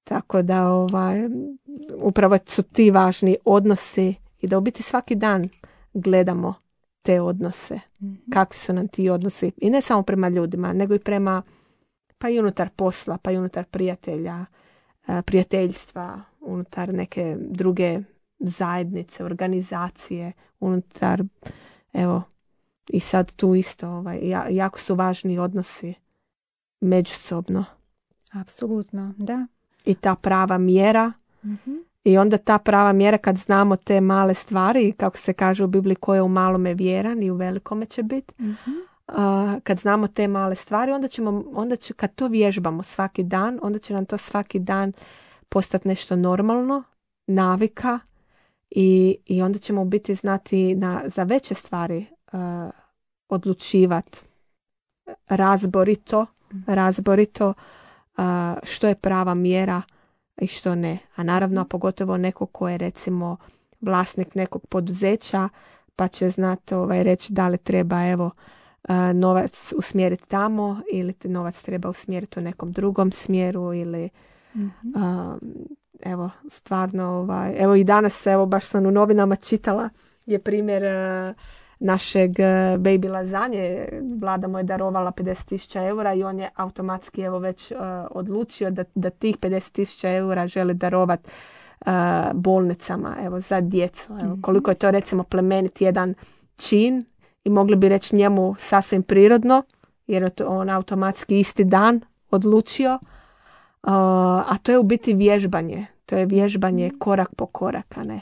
Tako da ovaj, upravo su ti važni odnosi i da u biti svaki dan gledamo te odnose. Mm-hmm. Kakvi su nam ti odnosi. I ne samo prema ljudima, nego i prema, pa i unutar posla, pa i unutar prijatelja, prijateljstva, unutar neke druge zajednice, organizacije, unutar, evo, i sad tu isto, ovaj, jako su važni odnosi međusobno. Apsolutno, da. I ta prava mjera. Mm-hmm. I onda ta prava mjera kad znamo te male stvari, kako se kaže u Bibliji, ko je u malome vjeran i u velikome će biti. Mm-hmm. Uh, kad znamo te male stvari, onda ćemo, onda će, kad to vježbamo svaki dan, onda će nam to svaki dan postati nešto normalno, navika i, i onda ćemo u biti znati na, za veće stvari uh, odlučivati razborito, mm-hmm. razborito uh, što je prava mjera i što ne. A naravno, pogotovo neko ko je recimo vlasnik nekog poduzeća, pa će znati ovaj, reći da li treba evo novac usmjeriti tamo ili te novac treba usmjeriti u nekom drugom smjeru ili mm-hmm. a, evo stvarno ovaj, evo i danas evo baš sam u novinama čitala je primjer a, našeg baby lazanje. Vlada mu je darovala pedeset tisuća eura i on je automatski evo već uh, odlučio da, da tih pedeset tisuća eura želi darovati uh, bolnicama evo, za djecu. Evo, koliko je to recimo plemenit jedan čin i mogli bi reći njemu sasvim prirodno jer je to on automatski isti dan odlučio. Uh, a to je u biti vježbanje. To je vježbanje korak po korak, a ne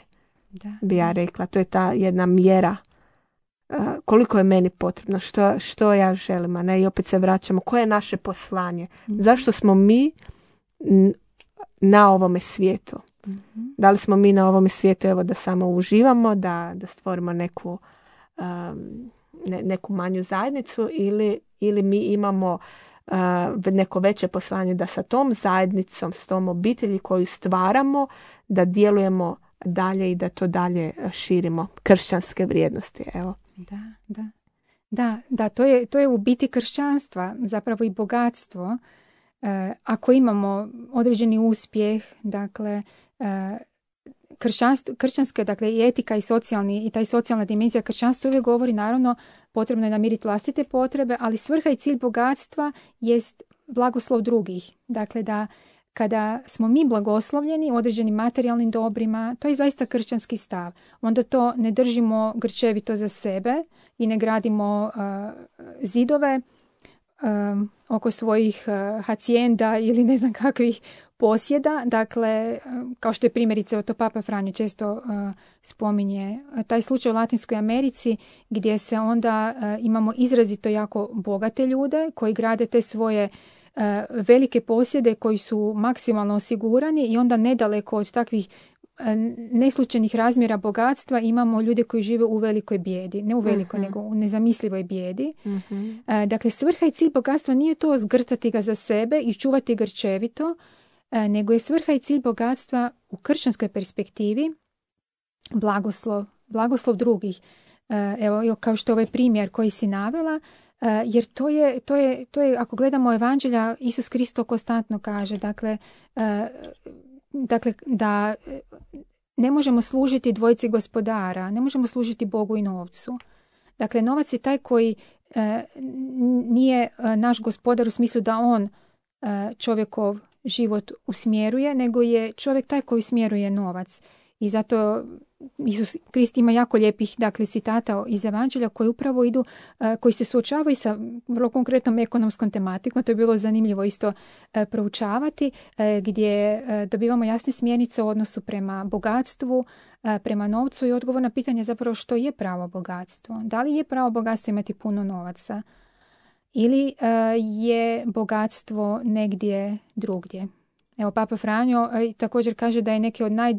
da, bi ja rekla. To je ta jedna mjera Uh, koliko je meni potrebno, što, što ja želim, a ne, i opet se vraćamo, koje je naše poslanje, mm-hmm. zašto smo mi n- na ovome svijetu. Mm-hmm. Da li smo mi na ovome svijetu evo da samo uživamo, da, da stvorimo neku, um, ne, neku manju zajednicu ili, ili mi imamo uh, neko veće poslanje da sa tom zajednicom, s tom obitelji koju stvaramo, da djelujemo dalje i da to dalje širimo, kršćanske vrijednosti, evo. Da, da. Da, da, to je, to je u biti kršćanstva, zapravo i bogatstvo. E, ako imamo određeni uspjeh, dakle, e, kršćanska, dakle, i etika i socijalni, i taj socijalna dimenzija kršćanstva uvijek govori, naravno, potrebno je namiriti vlastite potrebe, ali svrha i cilj bogatstva jest blagoslov drugih. Dakle, da kada smo mi blagoslovljeni određenim materijalnim dobrima, to je zaista kršćanski stav. Onda to ne držimo grčevito za sebe i ne gradimo uh, zidove um, oko svojih uh, hacijenda ili ne znam kakvih posjeda. Dakle, um, kao što je primjerice, to Papa Franjo često uh, spominje, taj slučaj u Latinskoj Americi gdje se onda uh, imamo izrazito jako bogate ljude koji grade te svoje velike posjede koji su maksimalno osigurani i onda nedaleko od takvih neslučajnih razmjera bogatstva imamo ljude koji žive u velikoj bijedi. Ne u velikoj, uh-huh. nego u nezamislivoj bijedi. Uh-huh. Dakle, svrha i cilj bogatstva nije to zgrtati ga za sebe i čuvati grčevito, nego je svrha i cilj bogatstva u kršćanskoj perspektivi blagoslov, blagoslov drugih. Evo, kao što je ovaj primjer koji si navela, Uh, jer to je, to, je, to je, ako gledamo evanđelja, Isus Kristo konstantno kaže, dakle, uh, dakle, da ne možemo služiti dvojici gospodara, ne možemo služiti Bogu i novcu. Dakle, novac je taj koji uh, nije uh, naš gospodar u smislu da on uh, čovjekov život usmjeruje, nego je čovjek taj koji usmjeruje novac. I zato Isus Krist ima jako lijepih, dakle, citata iz evanđelja koji upravo idu, uh, koji se suočavaju sa vrlo konkretnom ekonomskom tematikom. To je bilo zanimljivo isto uh, proučavati, uh, gdje uh, dobivamo jasne smjernice u odnosu prema bogatstvu, uh, prema novcu i odgovor na pitanje zapravo što je pravo bogatstvo. Da li je pravo bogatstvo imati puno novaca ili uh, je bogatstvo negdje drugdje. Evo, Papa Franjo uh, također kaže da je neke od naj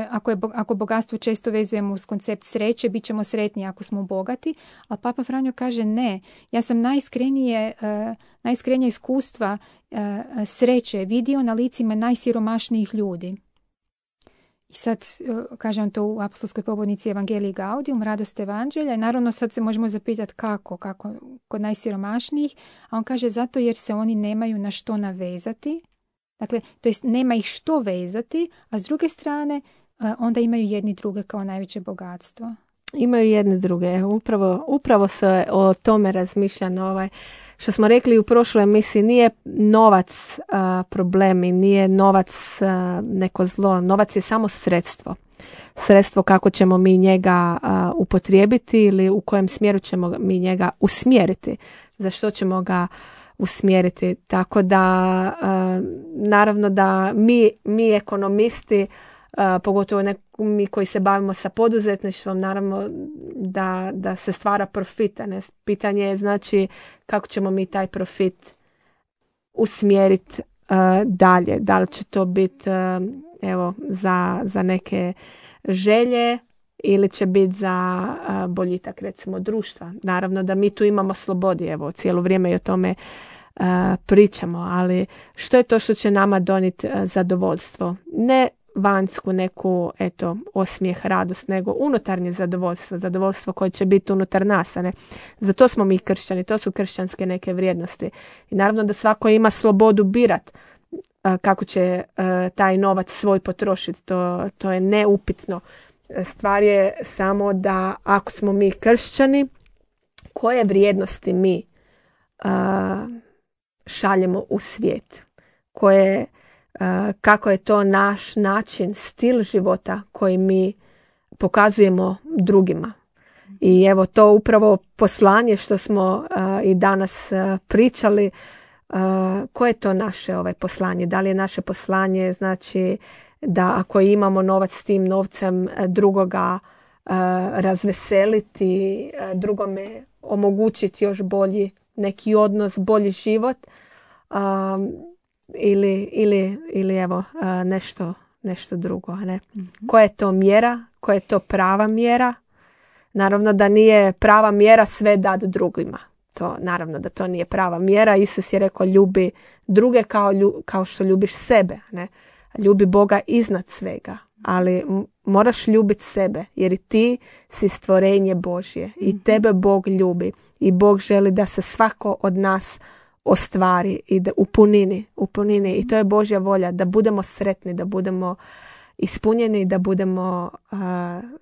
Ako, je, ako bogatstvo često vezujemo uz koncept sreće, bit ćemo sretni ako smo bogati, a Papa Franjo kaže ne. Ja sam najiskrenije, uh, najiskrenija iskustva uh, sreće vidio na licima najsiromašnijih ljudi. I sad, uh, kažem to u apostolskoj pobudnici Evangelii Gaudium, radost evanđelja. I naravno sad se možemo zapitati kako, kako kod najsiromašnijih, a on kaže zato jer se oni nemaju na što navezati. Dakle, to jest nema ih što vezati, a s druge strane onda imaju jedni druge kao najveće bogatstvo. Imaju jedne druge. Upravo, upravo se o tome razmišlja na ovaj, što smo rekli u prošloj emisiji, nije novac a, problem i nije novac a, neko zlo. Novac je samo sredstvo. Sredstvo kako ćemo mi njega a, upotrijebiti ili u kojem smjeru ćemo mi njega usmjeriti. Za što ćemo ga usmjeriti. Tako da uh, naravno da mi, mi ekonomisti, uh, pogotovo nek- mi koji se bavimo sa poduzetništvom, naravno da, da se stvara profit. Ne? Pitanje je znači kako ćemo mi taj profit usmjeriti uh, dalje. Da li će to biti uh, evo, za, za neke želje ili će biti za uh, boljitak recimo društva. Naravno da mi tu imamo slobodi, evo cijelo vrijeme i o tome uh, pričamo, ali što je to što će nama donijeti uh, zadovoljstvo? Ne vanjsku neku, eto, osmijeh, radost, nego unutarnje zadovoljstvo, zadovoljstvo koje će biti unutar nas, a ne. Zato smo mi kršćani, to su kršćanske neke vrijednosti. I naravno da svako ima slobodu birat kako će taj novac svoj potrošiti, to, to je neupitno. Stvar je samo da ako smo mi kršćani, koje vrijednosti mi uh, šaljemo u svijet, koje, uh, kako je to naš način, stil života koji mi pokazujemo drugima. I evo to upravo poslanje što smo uh, i danas uh, pričali, uh, koje je to naše ovaj poslanje? Da li je naše poslanje znači da ako imamo novac s tim novcem drugoga uh, razveseliti, uh, drugome omogućiti još bolji neki odnos, bolji život um, ili, ili, ili evo uh, nešto, nešto drugo. Ne? Mm-hmm. Koja je to mjera? Koja je to prava mjera? Naravno da nije prava mjera sve dati drugima. To, naravno da to nije prava mjera. Isus je rekao ljubi druge kao, lju, kao što ljubiš sebe. Ne? Ljubi Boga iznad svega. Ali moraš ljubiti sebe jer i ti si stvorenje Božje i tebe Bog ljubi i Bog želi da se svako od nas ostvari i da u punini, u punini. I to je Božja volja da budemo sretni, da budemo ispunjeni, da budemo uh,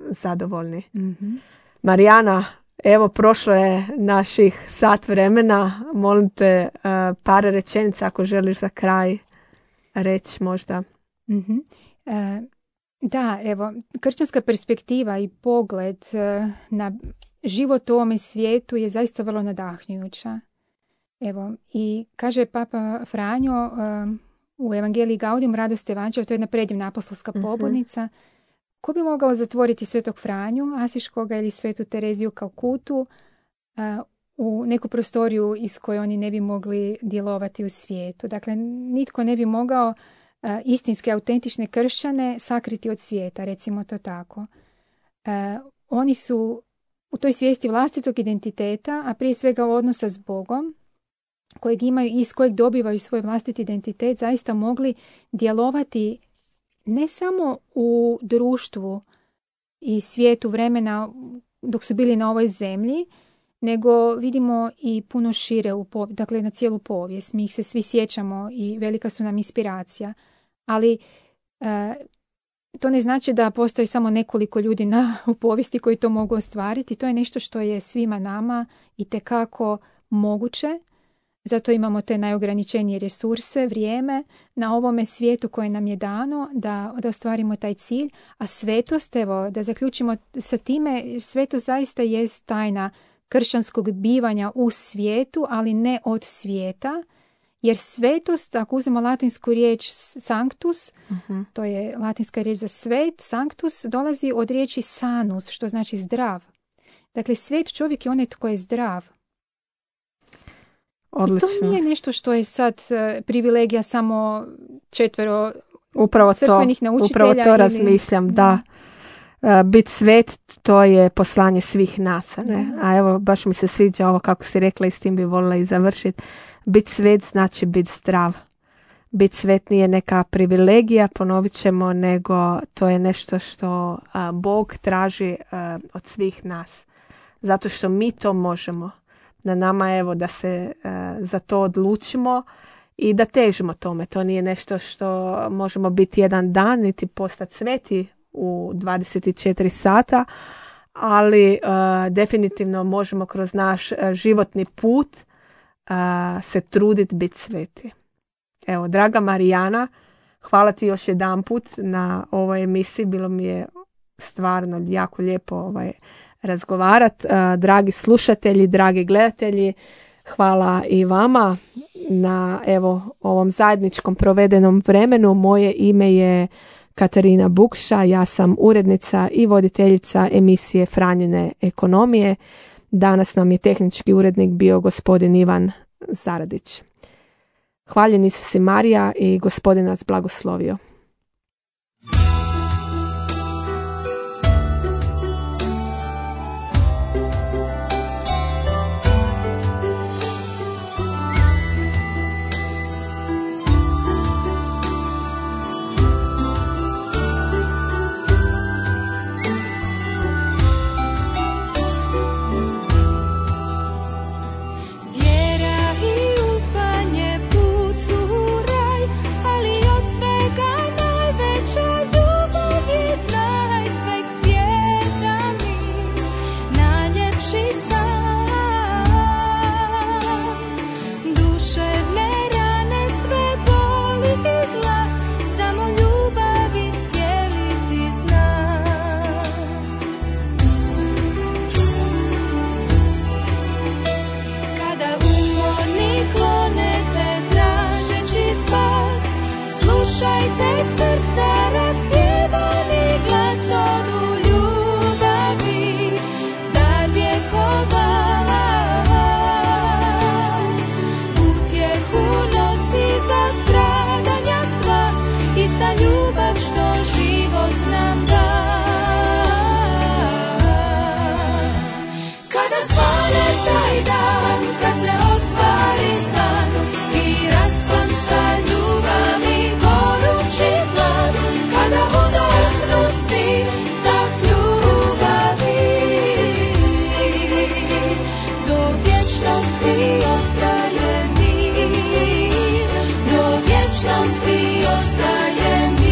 zadovoljni. Mm-hmm. Marijana, evo prošlo je naših sat vremena. Molim te uh, par rečenica ako želiš za kraj reći možda. Mm-hmm. Uh... Da, evo, kršćanska perspektiva i pogled uh, na život u ovome svijetu je zaista vrlo nadahnjujuća. Evo, i kaže Papa Franjo uh, u Evangeliji Gaudium radost evanđelja, to je jedna predivna apostolska pobudnica. Mm-hmm. Ko bi mogao zatvoriti svetog Franju Asiškoga ili svetu Tereziju Kalkutu uh, u neku prostoriju iz koje oni ne bi mogli djelovati u svijetu? Dakle, nitko ne bi mogao Uh, istinske, autentične kršćane sakriti od svijeta, recimo to tako. Uh, oni su u toj svijesti vlastitog identiteta, a prije svega odnosa s Bogom, kojeg imaju i iz kojeg dobivaju svoj vlastiti identitet, zaista mogli djelovati ne samo u društvu i svijetu vremena dok su bili na ovoj zemlji, nego vidimo i puno šire, u pov- dakle na cijelu povijest. Mi ih se svi sjećamo i velika su nam inspiracija. Ali e, to ne znači da postoji samo nekoliko ljudi na, u povijesti koji to mogu ostvariti. To je nešto što je svima nama itekako moguće. Zato imamo te najograničenije resurse, vrijeme na ovome svijetu koje nam je dano da, da ostvarimo taj cilj. A svetost, evo, da zaključimo sa time, svetost zaista jest tajna kršćanskog bivanja u svijetu, ali ne od svijeta. Jer svetost, ako uzmemo latinsku riječ sanctus, uh-huh. to je latinska riječ za svet, sanctus dolazi od riječi sanus, što znači zdrav. Dakle, svet čovjek je onaj tko je zdrav. Odlično. I to nije nešto što je sad privilegija samo četvero upravo crkvenih to, naučitelja. Upravo to ili... razmišljam, da. Uh, bit svet, to je poslanje svih nas. Ne? A evo, baš mi se sviđa ovo kako si rekla i s tim bi volila i završiti. Bit svet znači bit zdrav. Bit svet nije neka privilegija, ponovit ćemo, nego to je nešto što a, Bog traži a, od svih nas. Zato što mi to možemo. Na nama evo da se a, za to odlučimo i da težimo tome. To nije nešto što možemo biti jedan dan, niti postati sveti u dvadeset četiri sata, ali a, definitivno možemo kroz naš a, životni put a, se truditi biti sveti. Evo, draga Marijana, hvala ti još jedan put na ovoj emisiji. Bilo mi je stvarno jako lijepo ovaj, razgovarati. Dragi slušatelji, dragi gledatelji, hvala i vama na evo, ovom zajedničkom provedenom vremenu. Moje ime je Katarina Bukša, ja sam urednica i voditeljica emisije Franjine ekonomije. Danas nam je tehnički urednik bio gospodin Ivan Zaradić. Hvaljen Isus i Marija i Gospodin nas blagoslovio. ista ljubav što život nam da. Kada svane taj dan, kad se ostvari san i raspon sa ljubavi gorući plan, kada udahnu svi dah ljubavi, do vječnosti ostaje mir, do vječnosti ostaje mir.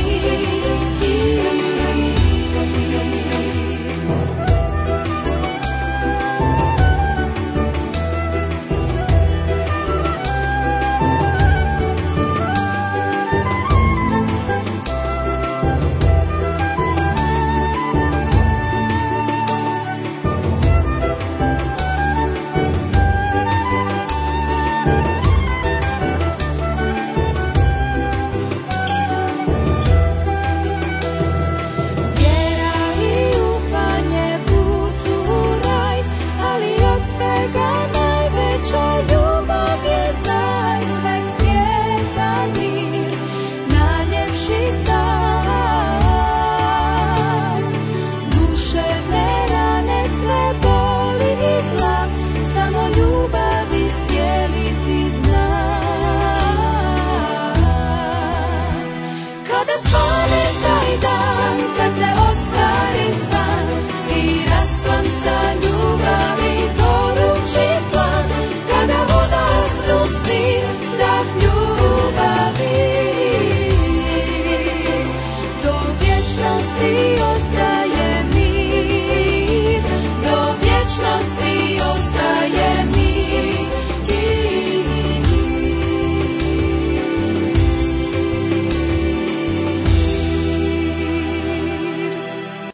Kada svane taj dan, kad se